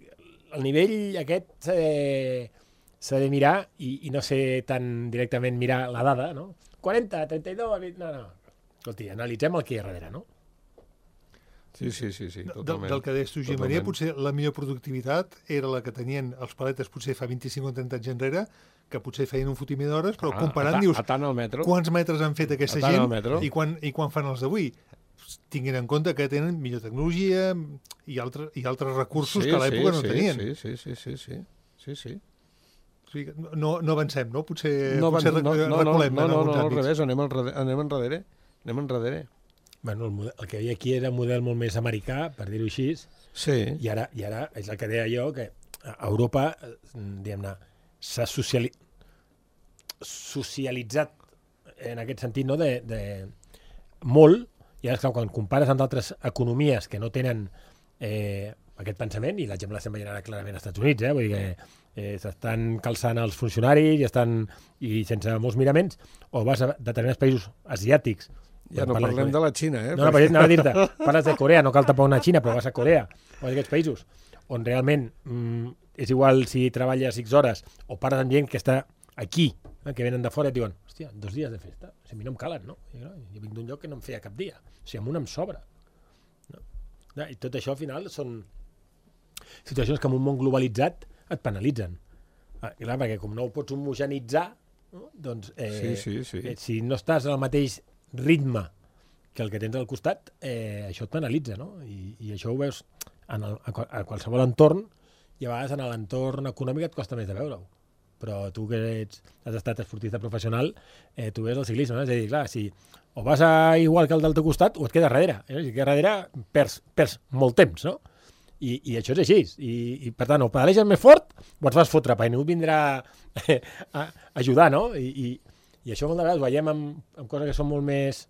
el nivell aquest eh, s'ha de mirar i, i no sé tan directament mirar la dada, no? quaranta, trenta-dos, no, no. Escolti, analitzem el que hi ha darrere, no? Sí, sí, sí, sí, totalment. Del, del que deies tu, Josep Maria, potser la millor productivitat era la que tenien els paletes potser fa vint-i-cinc o trenta anys enrere, que potser feien un fotimer d'hores, però ah, comparant, a dius, a tant al metro. Quants metres han fet aquesta gent i quan, i quan fan els d'avui? Tinguin en compte que tenen millor tecnologia i, altre, i altres recursos sí, que a l'època sí, no sí, tenien. Sí, sí, sí, sí, sí, sí, sí. O sigui, no, no avancem, no? Potser, no, potser no, no, reculem no, en no, alguns no, àmbits. al revés, anem, al, anem enrere. Anem enrere. Bueno, el, model, el que hi havia aquí era un model molt més americà, per dir-ho així, sí. i, ara, i ara és el que deia jo, que a Europa, diguem-ne, s'ha sociali... socialitzat en aquest sentit, no?, de, de molt, i ara, esclar, quan compares amb d'altres economies que no tenen eh, aquest pensament, i l'exemple l'estem veient ara clarament als Estats Units, eh, vull dir que eh, s'estan calçant els funcionaris i estan i sense molts miraments, o vas a determinats països asiàtics. Ja no parlem de, de la Xina, eh? No, no, però anava a dir-te, parles de Corea, no cal tapar una Xina, però vas a Corea, o a aquests països, on realment mm, és igual si treballes X hores, o parles amb gent que està aquí, eh, que venen de fora i et diuen, hòstia, dos dies de festa, o sigui, a mi no em calen, no? I, no? Jo vinc d'un lloc que no em feia cap dia, o sigui, amb un em sobra. No? I tot això, al final, són situacions que en un món globalitzat et penalitzen. Ah, clar, perquè com no ho pots homogenitzar, no? Doncs eh, sí, sí, sí. Eh, si no estàs al mateix ritme que el que tens al costat, eh, això et penalitza, no? I, i això ho veus en el, a, a qualsevol entorn, i a vegades en l'entorn econòmic et costa més de veure-ho. Però tu que ets, has estat esportista professional, eh, tu veus el ciclisme, no? És a dir, clar, si o vas a igual que el del teu costat o et quedes darrere. Eh? Si et quedes darrere, perds, perds molt temps, no? I, i això és així. I, i per tant, o pedaleges més fort o et vas fotre, perquè ningú vindrà eh, a ajudar, no? I, i, i això moltes vegades ho veiem amb, amb coses que són molt més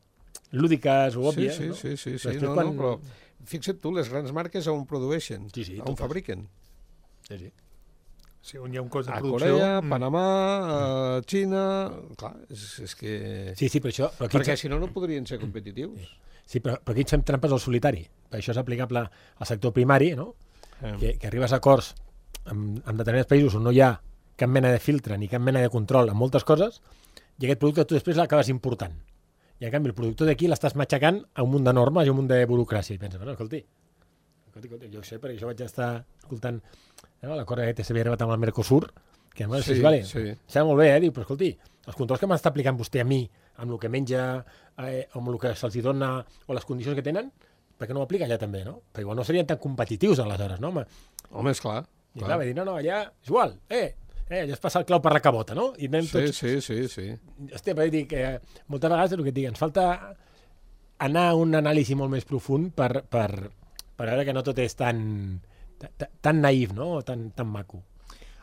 lúdiques o òbvies, sí, sí, no? Sí, sí, sí, sí. No, quan... no, però fixa't tu, les grans marques on produeixen, sí, sí, on fabriquen. Sí, sí. Sí, on hi ha un cost de a producció... Corea, Panamà, a Xina... Clar, és, és que... Sí, sí, però això... Però perquè aquí... si no, no podrien ser competitius. Sí, però, però aquí ens fem trampes al solitari. Per això és aplicable al sector primari, no? Eh. Que, que arribes a acords amb, amb determinats països on no hi ha cap mena de filtre ni cap mena de control en moltes coses, i aquest producte tu després l'acabes important. I en canvi el productor d'aquí l'estàs matxacant a un munt de normes i a un munt de burocràcia. I penses, bueno, escolti, escolti, escolti, jo ho sé, perquè jo vaig estar escoltant no, l'acord que s'havia arribat amb el Mercosur, que bueno, sí, sí, vale, sí. Sembla molt bé, eh? Diu, però escolti, els controls que m'està aplicant vostè a mi, amb el que menja, eh, amb el que se'ls dona, o les condicions que tenen, per què no ho aplica allà també, no? Perquè igual no serien tan competitius aleshores, no? Home, Home és clar. I clar, va dir, no, no, allà és igual, eh? eh, allò és passar el clau per la cabota, no? I anem Sí, tots... sí, sí, sí. Hòstia, però dic, eh, moltes vegades el que et dic, ens falta anar a un anàlisi molt més profund per, per, per veure que no tot és tan, tan, tan naïf, no? O tan, tan maco.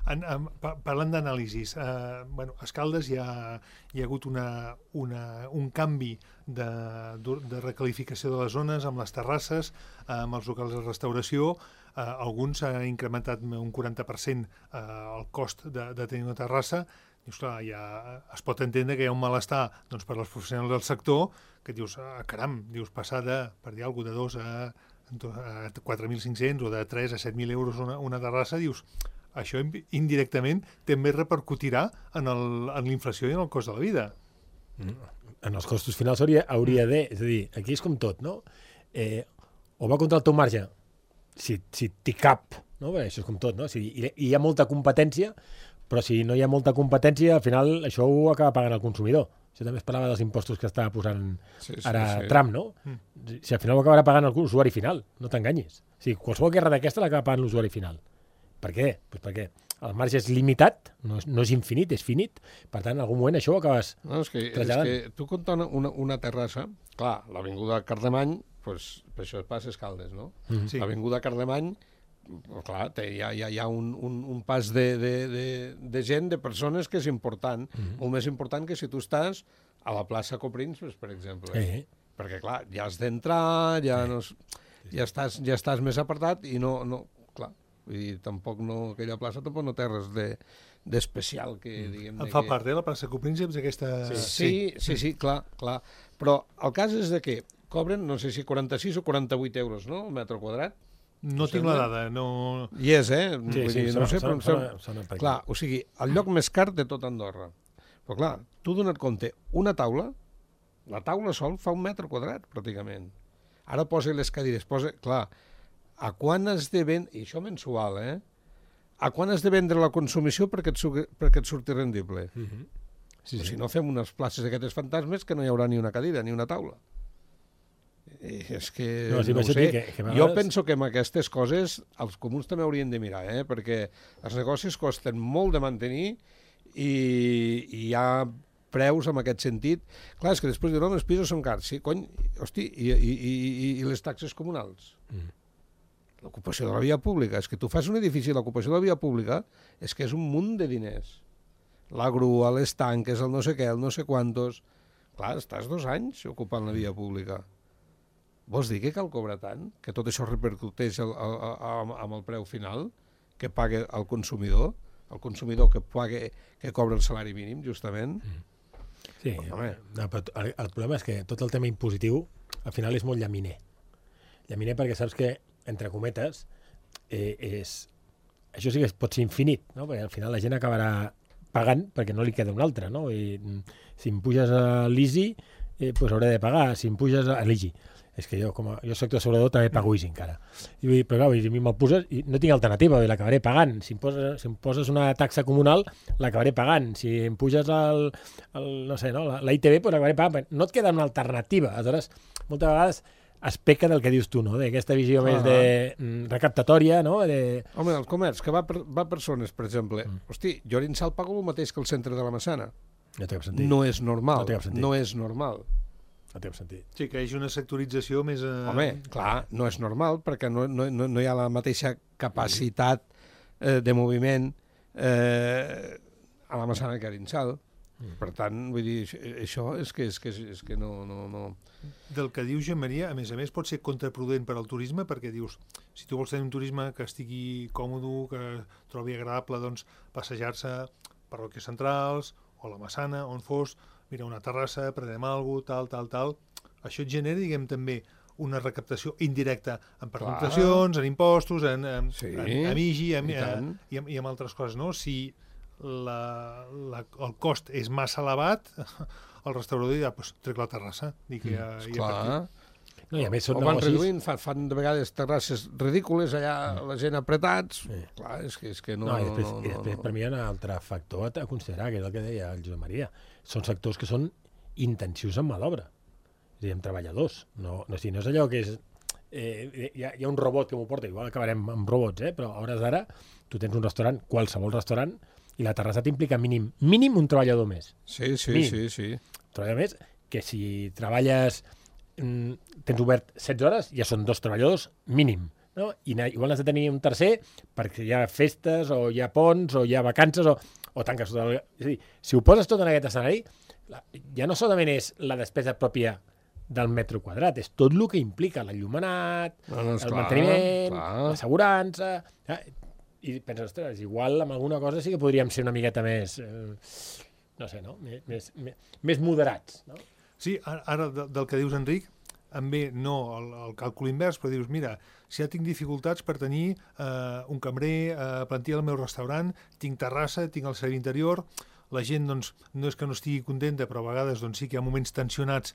En, en, pa- parlant d'anàlisis, eh, bueno, a Escaldes hi ha, hi ha hagut una, una, un canvi de, de recalificació de les zones amb les terrasses, eh, amb els locals de restauració. Eh, alguns han incrementat un quaranta per cent eh, el cost de, de tenir una terrassa. Dius, clar, ja es pot entendre que hi ha un malestar doncs, per als professionals del sector, que dius, ah, caram, dius, passar de, per dir alguna cosa, de dos a, a quatre mil cinc-cents o de tres a set mil euros una, una terrassa, dius, això indirectament també repercutirà en el- en l'inflació i en el cost de la vida. En els costos finals hauria, hauria de... És a dir, aquí és com tot, no? Eh, o va contra el teu marge, si, si t'hi cap, no? Bé, això és com tot, no? Si hi, hi ha molta competència, però si no hi ha molta competència, al final això ho acaba pagant el consumidor. Això també es parlava dels impostos que estava posant Sí, sí, ara sí. Trump, no? Mm. Si al final ho acabarà pagant l'usuari final, no t'enganyis. O sigui, qualsevol guerra d'aquesta l'acaba pagant l'usuari final. Per què? Pues perquè el marge és limitat, no és, no és infinit, és finit. Per tant, en algun moment això ho acabes... No, és que, és traslladant. que tu compta una, una, una terrassa, clar, l'avinguda Carlemany, pues, per això es passa Escaldes, no? Mm. Sí. L'avinguda Carlemany, clar, té, hi ha, hi ha, hi ha un, un, un pas de, de, de, de gent, de persones, que és important, mm. molt més important que si tu estàs a la plaça Coprins, pues, per exemple. Eh, Perquè, clar, ja has d'entrar, ja, no, és- ja, estàs, ja estàs més apartat i no, no clar, vull dir, tampoc no, aquella plaça tampoc no té res de, d'especial que, diguem... En de fa que... part, eh, la plaça Coprínceps, aquesta... Sí, sí, sí, clar, clar. Però el cas és de que cobren, no sé si quaranta-sis o quaranta-vuit euros, no?, el metre quadrat. No tinc la dada, no... I és, eh? Sí, Vull sí, dir, sona- no sé, però sona- em sembla- sona- sona per aquí. Clar, o sigui, el lloc més car de tot Andorra. Però clar, tu dona't compte, una taula, la taula sol fa un metre quadrat, pràcticament. Ara posa les cadires, posa... Clar, a quan has de vendre... I això mensual, eh? A quan has de vendre la consumició perquè et, su- perquè et surti rendible? Mhm. Sí, O sí. si no, fem unes places d'aquestes fantasmes que no hi haurà ni una cadira, ni una taula. I és que No, no, sí, no per ho això sé. et dic que- que a Jo vegades- penso que amb aquestes coses els comuns també haurien de mirar, eh? Perquè els negocis costen molt de mantenir i, i hi ha preus en aquest sentit. Clar, és que després diuen, no, els pisos són cars. Sí, cony, hosti, i, i, i, i les taxes comunals? Mm. L'ocupació de la via pública. És que tu fas un edifici, l'ocupació de la via pública és que és un munt de diners. La grua, les tanques, el no sé què, el no sé quantos... Clar, estàs dos anys ocupant la via pública. Vols dir que cal cobrar tant? Que tot això repercuteix el, el, el, amb el preu final que paga el consumidor? El consumidor que paga, que cobra el salari mínim, justament? Sí, Home. no, però el, el problema és que tot el tema impositiu al final és molt llaminer. Llaminer perquè saps que, entre cometes, eh, és... això sí que pot ser infinit, no? Perquè al final la gent acabarà pagant perquè no li queda un altre, no? I, mm, si em puges a l'Easy, eh, pues hauré de pagar. Si em puges a l'Easy, és que jo, com a jo soc assegurador, també pago Easy encara. I, vull dir, però clar, vull dir, a mi me'l poses i no tinc alternativa, vull dir, l'acabaré pagant. Si em, poses, si em poses una taxa comunal, l'acabaré pagant. Si em puges el, el no sé, no, la, la I T V, pues l'acabaré pagant. No et queda una alternativa. Aleshores, moltes vegades es peca del que dius tu, no? D'aquesta visió Ah. més de mm, recaptatòria, no? De... Home, el comerç, que va per, va per zones, per exemple. Mm. Hosti, jo a Arinsal pago el mateix que el centre de la Massana. No té cap sentit. No és normal. No té cap sentit. No és normal. No té cap sentit. Sí, que hi hagi una sectorització més... Eh... Home, clar, no és normal, perquè no, no, no, no hi ha la mateixa capacitat eh, de moviment eh, a la Massana que a Arinsal. Per tant, vull dir, això és que, és que, és que no, no, no... Del que diu Jean Maria, a més a més, pot ser contraproduent per al turisme, perquè dius, si tu vols tenir un turisme que estigui còmode, que trobi agradable, doncs, passejar-se per parròquies centrals, o la Massana, on fos, mira, una terrassa, prenem alguna cosa, tal, tal, tal... Això et genera, diguem, també una recaptació indirecta en pernoctacions, en impostos, en, en, Sí, en, en I G I, en, i tant. i, amb, i amb altres coses, no? Si la, la, el cost és massa elevat, el restaurador dirà, doncs trec la terrassa. Dic, mm, ja, ja Clar. No, i a més són O van negocis... reduint, fan, fan de vegades terrasses ridícules, allà la gent apretats. Sí. Clar, és que, és que no... No, i després, no, i després no, per mi hi ha un altre factor a considerar, que és el que deia el Josep Maria. Són sectors que són intensius en mà d'obra. És a dir, amb treballadors. No, no, si no és allò que és... Eh, hi, ha, hi ha un robot que m'ho porta, igual acabarem amb robots, eh? Però a hores d'ara tu tens un restaurant, qualsevol restaurant, I la terrassa t'implica mínim, mínim un treballador més. Sí, sí, mínim. sí, sí. Un treballador més que si treballes, mm, tens obert setze hores, ja són dos treballadors mínim. No? I igual has de tenir un tercer perquè hi ha festes, o hi ha ponts, o hi ha vacances, o, o tanques tot el... És a dir, si ho poses tot en aquest escenari, ja no solament és la despesa pròpia del metre quadrat, és tot el que implica l'enllumenat, No, no, el esclar, manteniment, clar. l'assegurança... Eh? I penses, ostres, igual amb alguna cosa sí que podríem ser una miqueta més... Eh, no sé, no? Més, més, més, més moderats, no? Sí, ara del que dius, Enric, em ve no el, el càlcul invers, però dius, mira, si ja tinc dificultats per tenir eh, un cambrer, eh, plantilla al meu restaurant, tinc terrassa, tinc el servei interior, la gent doncs, no és que no estigui contenta, però a vegades doncs, sí que hi ha moments tensionats.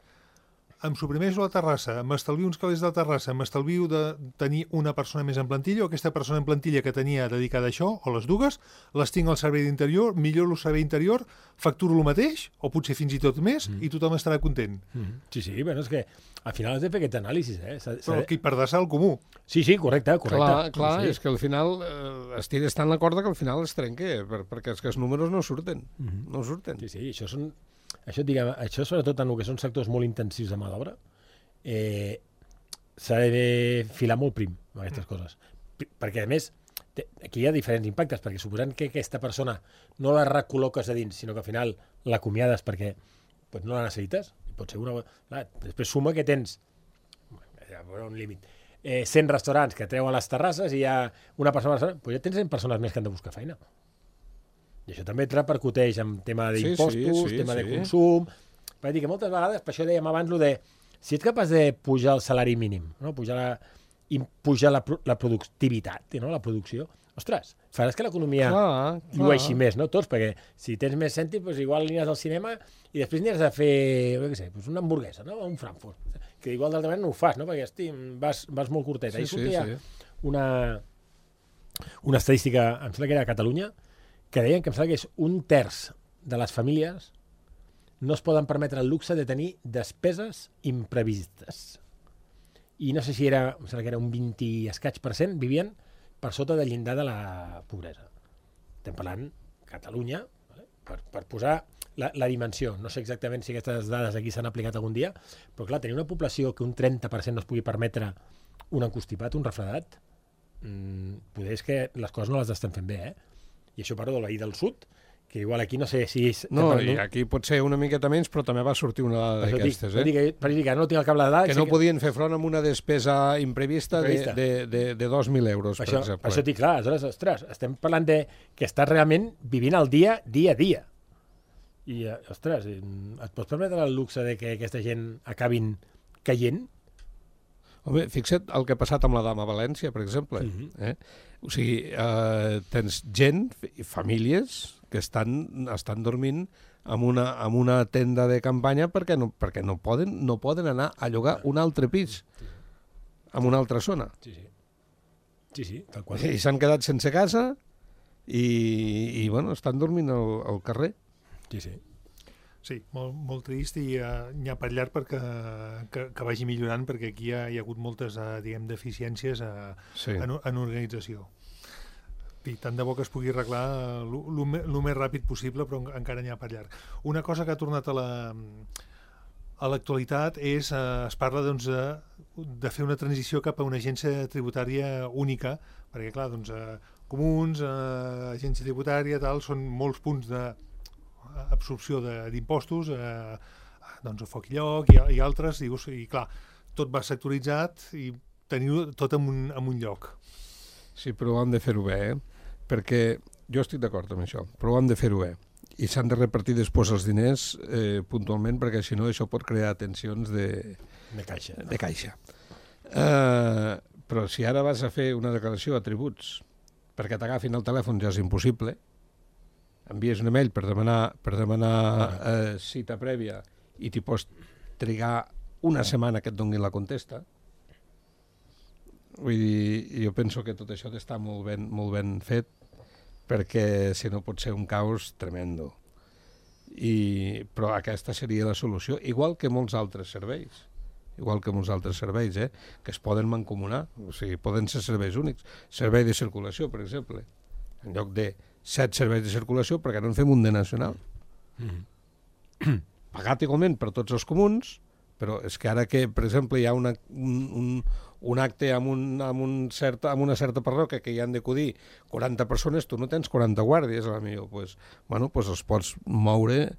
Em suprimeixo la terrassa, m'estalvio uns calés de la terrassa, m'estalvio de tenir una persona més en plantilla, o aquesta persona en plantilla que tenia dedicada a això, o les dues, les tinc al servei d'interior, milloro el servei interior, facturo el mateix, o potser fins i tot més, mm. i tothom estarà content. Mm. Sí, sí, bueno, és que al final has de fer aquest anàlisi, eh? S'ha, s'ha... Però que hi perdràs al comú. Sí, sí, correcte, correcte. Clar, clar, sí. és que al final eh, estires tant la corda que al final es trenca, per, perquè és que els números no surten, mm-hmm. no surten. Sí, sí, això són... Això, diguem, això sobretot en el que són sectors molt intensius de mà d'obra, eh, s'ha de filar molt prim amb aquestes mm. coses. P perquè, a més, té, aquí hi ha diferents impactes, perquè suposant que aquesta persona no la recol·loques a dins, sinó que al final l'acomiades perquè pues, no la necessites, pot ser una... Clar, després suma que tens un límit. Eh, cent restaurants que treuen les terrasses i hi ha una persona al restaurant, pues ja tens cent persones més que han de buscar feina. I això també et repercuteix en tema d'impostos, sí, sí, sí, tema sí. de consum... Va dir que moltes vegades, per això dèiem abans, lo de si ets capaç de pujar el salari mínim, no? pujar, la, i pujar la, la productivitat, no? la producció, ostres, faràs que l'economia llueixi més, no? Tots, perquè si tens més cèntim, doncs igual aniràs al cinema i després aniràs a fer, no sé, doncs una hamburguesa, no? Un Frankfurt, que igual d'altra manera no ho fas, no? Perquè hosti, vas, vas molt curtet. Sí, Ahir sortia sí, sí. Una, una estadística, em sembla que era a Catalunya, que deien que em sembla que és un terç de les famílies no es poden permetre el luxe de tenir despeses imprevistes. I no sé si era, em sembla que era un vint i escaig per cent, vivien per sota del llindar de la pobresa. Estem parlant Catalunya, vale? per, per posar la, la dimensió. No sé exactament si aquestes dades aquí s'han aplicat algun dia, però clar, tenir una població que un trenta per cent no es pugui permetre un encostipat, un refredat, mmm, poder és que les coses no les estan fent bé, eh? I això parlo del veí del sud, que igual aquí no sé si... És... No, i aquí pot ser una miqueta menys, però també va sortir una dada d'aquestes, eh? Que, per dir que no tinc el cable de dades... Que no que... podien fer front amb una despesa imprevista, imprevista. de, de, de, de dos mil euros, per això, exemple. Per això dic, clar, aleshores, ostres, estem parlant de que estàs realment vivint el dia, dia a dia. I, ostres, et pots permetre el luxe de que aquesta gent acabin caient? Home, fixa't el que ha passat amb la dama a València, per exemple. Uh-huh. eh? O sigui, eh, tens gent, famílies, que estan, estan dormint en una, en una tenda de campanya perquè no, perquè no poden, no poden anar a llogar un altre pis en una altra zona. Sí, sí. Sí, sí, tal qual. I s'han quedat sense casa i, i bueno, estan dormint al, al carrer. Sí, sí. Sí, molt, molt trist i uh, n'hi ha per llarg perquè que, que vagi millorant, perquè aquí hi ha, hi ha hagut moltes uh, diguem, deficiències uh, sí. en, en organització. I tant de bo que es pugui arreglar el més ràpid possible, però encara n'hi ha per llarg. Una cosa que ha tornat a la a l'actualitat és, uh, es parla doncs, de, de fer una transició cap a una agència tributària única, perquè clar, doncs, uh, comuns, uh, agència tributària, tal, són molts punts de absorció d'impostos, eh, doncs a foc i lloc i, i altres, i, i clar, tot va sectoritzat i teniu tot en un, en un lloc. Sí, però hem de fer-ho bé, eh? Perquè jo estic d'acord amb això, però hem de fer-ho bé. I s'han de repartir després els diners eh, puntualment, perquè si no això pot crear tensions de, de caixa. De caixa. Eh, però si ara vas a fer una declaració de tributs perquè t'agafin el telèfon ja és impossible, envies un email per demanar, per demanar eh, cita prèvia i t'hi pots trigar una setmana que et donin la contesta. Vull dir, jo penso que tot això està molt ben, molt ben fet, perquè si no pot ser un caos tremendo. I, però aquesta seria la solució, igual que molts altres serveis. Igual que molts altres serveis, eh, que es poden mancomunar, o sigui, poden ser serveis únics. Servei de circulació, per exemple. En lloc de set serveis de circulació, perquè no en fem un de nacional. Mm. Pagat igualment per tots els comuns, però és que ara que, per exemple, hi ha una, un, un, un acte amb, un, amb, un certa, amb una certa parròquia que hi han d'acudir quaranta persones, tu no tens quaranta guàrdies, a la millor. Pues, bueno, pues els pots moure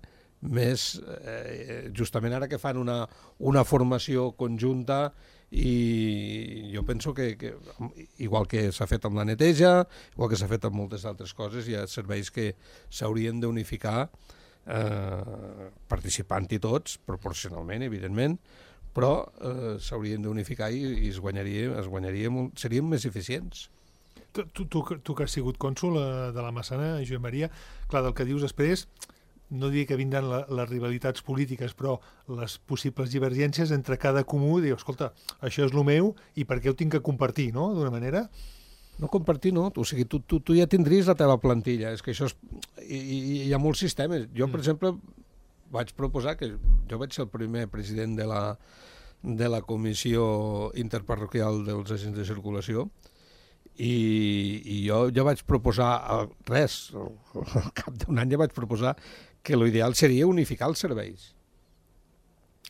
més, eh, justament ara que fan una, una formació conjunta, i jo penso que, que igual que s'ha fet amb la neteja, igual que s'ha fet amb moltes altres coses, hi ha serveis que s'haurien d'unificar, eh, participant-hi tots, proporcionalment, evidentment, però eh, s'haurien d'unificar i, i es guanyaria, es guanyaria molt, serien més eficients. Tu, tu, tu, tu que has sigut cònsol de la Massana, Josep Maria, clar, del que dius després, no diria que vindran la, les rivalitats polítiques, però les possibles divergències entre cada comú, diu, escolta, això és el meu i per què ho tinc que compartir, no?, d'una manera. No compartir, no. O sigui, tu, tu, tu ja tindries la teva plantilla. És que això és... I, i, hi ha molts sistemes. Jo, per mm. exemple, vaig proposar que jo vaig ser el primer president de la, de la Comissió Interparroquial dels Agents de Circulació, i, i jo ja vaig proposar, res, al cap d'un any ja vaig proposar que l'ideal seria unificar els serveis.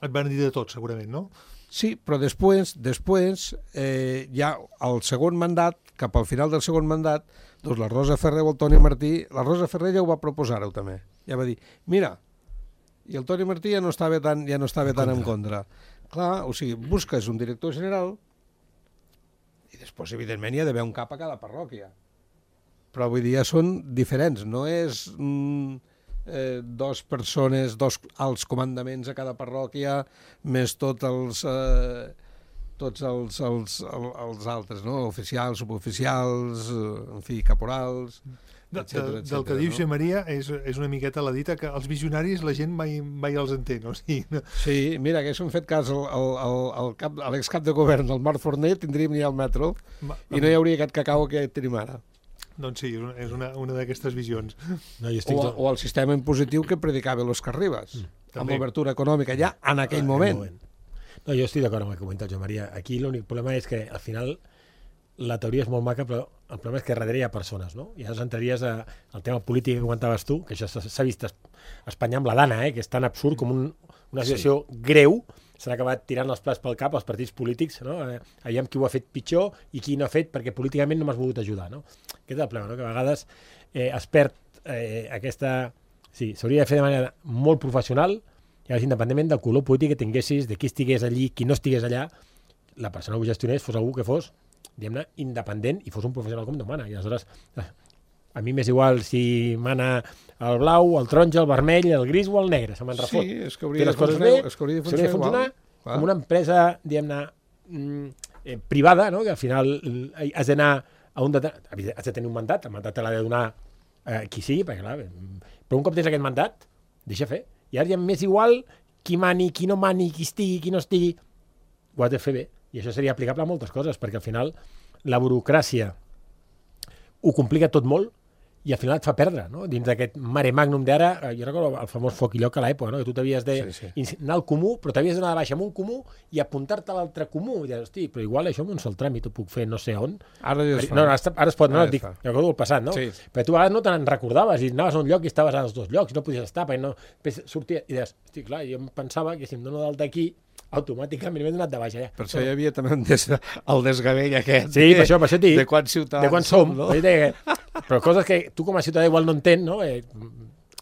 Et van dir de tot, segurament, no? Sí, però després, després eh, ja al segon mandat, cap al final del segon mandat, doncs la Rosa Ferrer o el Toni Martí, la Rosa Ferrer ja ho va proposar-ho també. Ja va dir, mira, i el Toni Martí ja no estava tan, ja no estava tan en contra. Clar, o sigui, busques un director general i després, evidentment, hi ha d'haver un cap a cada parròquia. Però avui dia són diferents, no és... Mm, Eh, dos persones, dos alts comandaments a cada parròquia, més tots els eh, tots els, els, els, els altres, no? Oficials, suboficials, en fi, caporals, de, etcètera, de, etcètera, del que diu no? Josep Maria és, és una miqueta la dita que els visionaris la gent mai, mai els entén, o sigui, no? Sí, mira, haguéssim fet cas al, al, al, al cap, a l'excap de govern del Marc Forner, tindríem ja el metro Ma, i no hi hauria aquest cacau que tenim ara. Doncs sí, és una, una d'aquestes visions. No, jo estic... o, o el sistema impositiu que predicava l'Òscar Ribas, mm, amb l'obertura econòmica ja en aquell ah, moment. moment. No, jo estic d'acord amb el que comenta el Joan Maria. Aquí l'únic problema és que al final la teoria és molt maca, però el problema és que darrere hi ha persones, no? I llavors entraries a, al tema polític que comentaves tu, que això s'ha vist a Espanya amb la Dana, eh, que és tan absurd com un, una situació sí. greu, s'han acabat tirant els plats pel cap als partits polítics, no? Eh, aviam qui ho ha fet pitjor i qui no ha fet perquè políticament no m'has volgut ajudar, no? Aquest és el problema, no? Que a vegades eh, es perd eh, aquesta... Sí, s'hauria de fer de manera molt professional, i llavors, independentment del color polític que tinguessis, de qui estigués allí, qui no estigués allà, la persona que ho gestionés fos algú que fos, diguem-ne, independent i fos un professional com demana. I aleshores, a mi m'és igual si mana el blau, el taronja, el vermell, el gris o el negre, se me'n refot. Sí, és que hauria de funcionar, bé, és que hauria de funcionar, funcionar, funcionar com una empresa, diguem-ne, eh, privada, no? Que al final eh, has d'anar a un... Has de tenir un mandat, el mandat te l'ha de donar eh, qui sigui, perquè clar, però un cop tens aquest mandat, deixa fer. I ara ja m'és igual qui mani, qui no mani, qui estigui, qui no estigui, ho has de fer bé. I això seria aplicable a moltes coses, perquè al final la burocràcia ho complica tot molt i al final et fa perdre, no? Dins d'aquest mare magnum d'ara, jo recordo el famós foc i lloc a l'època, no? Que tu t'havies de sí, sí. anar al comú, però t'havies d'anar de baixa amb un comú i apuntar-te a l'altre comú. I deies, hosti, però igual això amb un sol tràmit ho puc fer no sé on. Ara ja es fa. No, ara, ara es pot, no, dic, jo recordo el passat, no? Sí. Però tu a vegades no te'n recordaves i anaves a un lloc i estaves als dos llocs i no podies estar, perquè no... Sortia, i deies, hosti, clar, jo em pensava que si em dono d'alta aquí, automàticament m'he donat de baixa. Ja. Per això hi havia també des, el desgavell aquest. Sí, per això, per això dic. De quants ciutadans de quan som. No? Però coses que tu com a ciutadà igual no entén, no? Eh,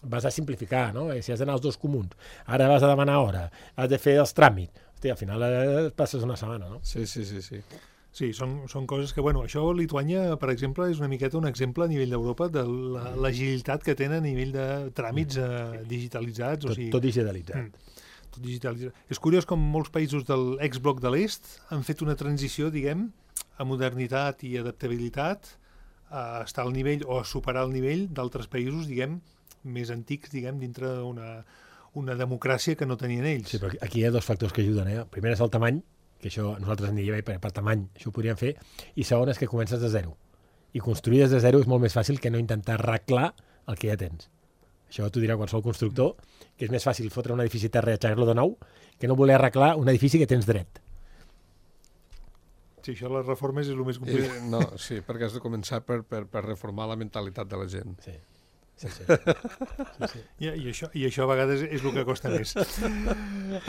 vas a simplificar, no? Eh, si has d'anar als dos comuns, ara vas a demanar hora, has de fer els tràmits. Hosti, al final eh, passes una setmana, no? Sí, sí, sí, sí. Sí, són, són coses que, bueno, això Lituània, per exemple, és una miqueta un exemple a nivell d'Europa de l'agilitat que tenen a nivell de tràmits eh, digitalitzats. Tot, o sigui, tot digitalitzat. Mm. Tot digitalitzat. És curiós com molts països del exbloc de l'Est han fet una transició, diguem, a modernitat i adaptabilitat, a estar al nivell o a superar el nivell d'altres països, diguem, més antics, diguem, dintre d'una una democràcia que no tenien ells. Sí, però aquí hi ha dos factors que ajuden, eh? El primer és el tamany, que això nosaltres en diríem, perquè per tamany això ho podríem fer, i segon és que comences de zero. I construir des de zero és molt més fàcil que no intentar arreglar el que ja tens. Això t'ho dirà qualsevol constructor, que és més fàcil fotre un edifici a terra i aixecar-lo de nou que no voler arreglar un edifici que tens dret. Sí, això de les reformes és el més complicat. I, no, sí, perquè has de començar per, per, per reformar la mentalitat de la gent. Sí. Sí, sí. sí, sí. I, i, això, I això a vegades és el que costa més.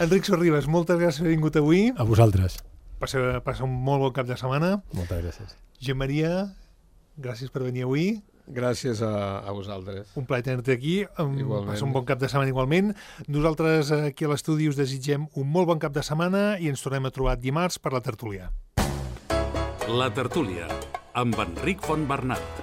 Enric Sorribas, moltes gràcies per haver vingut avui. A vosaltres. Passa, passa un molt bon cap de setmana. Moltes gràcies. Gent Maria, gràcies per venir avui. Gràcies a, a vosaltres. Un plaer tenir-te aquí. Igualment. Passa un bon cap de setmana igualment. Nosaltres aquí a l'estudi us desitgem un molt bon cap de setmana i ens tornem a trobar dimarts per la tertúlia. La tertúlia, amb Enric Fontbernat.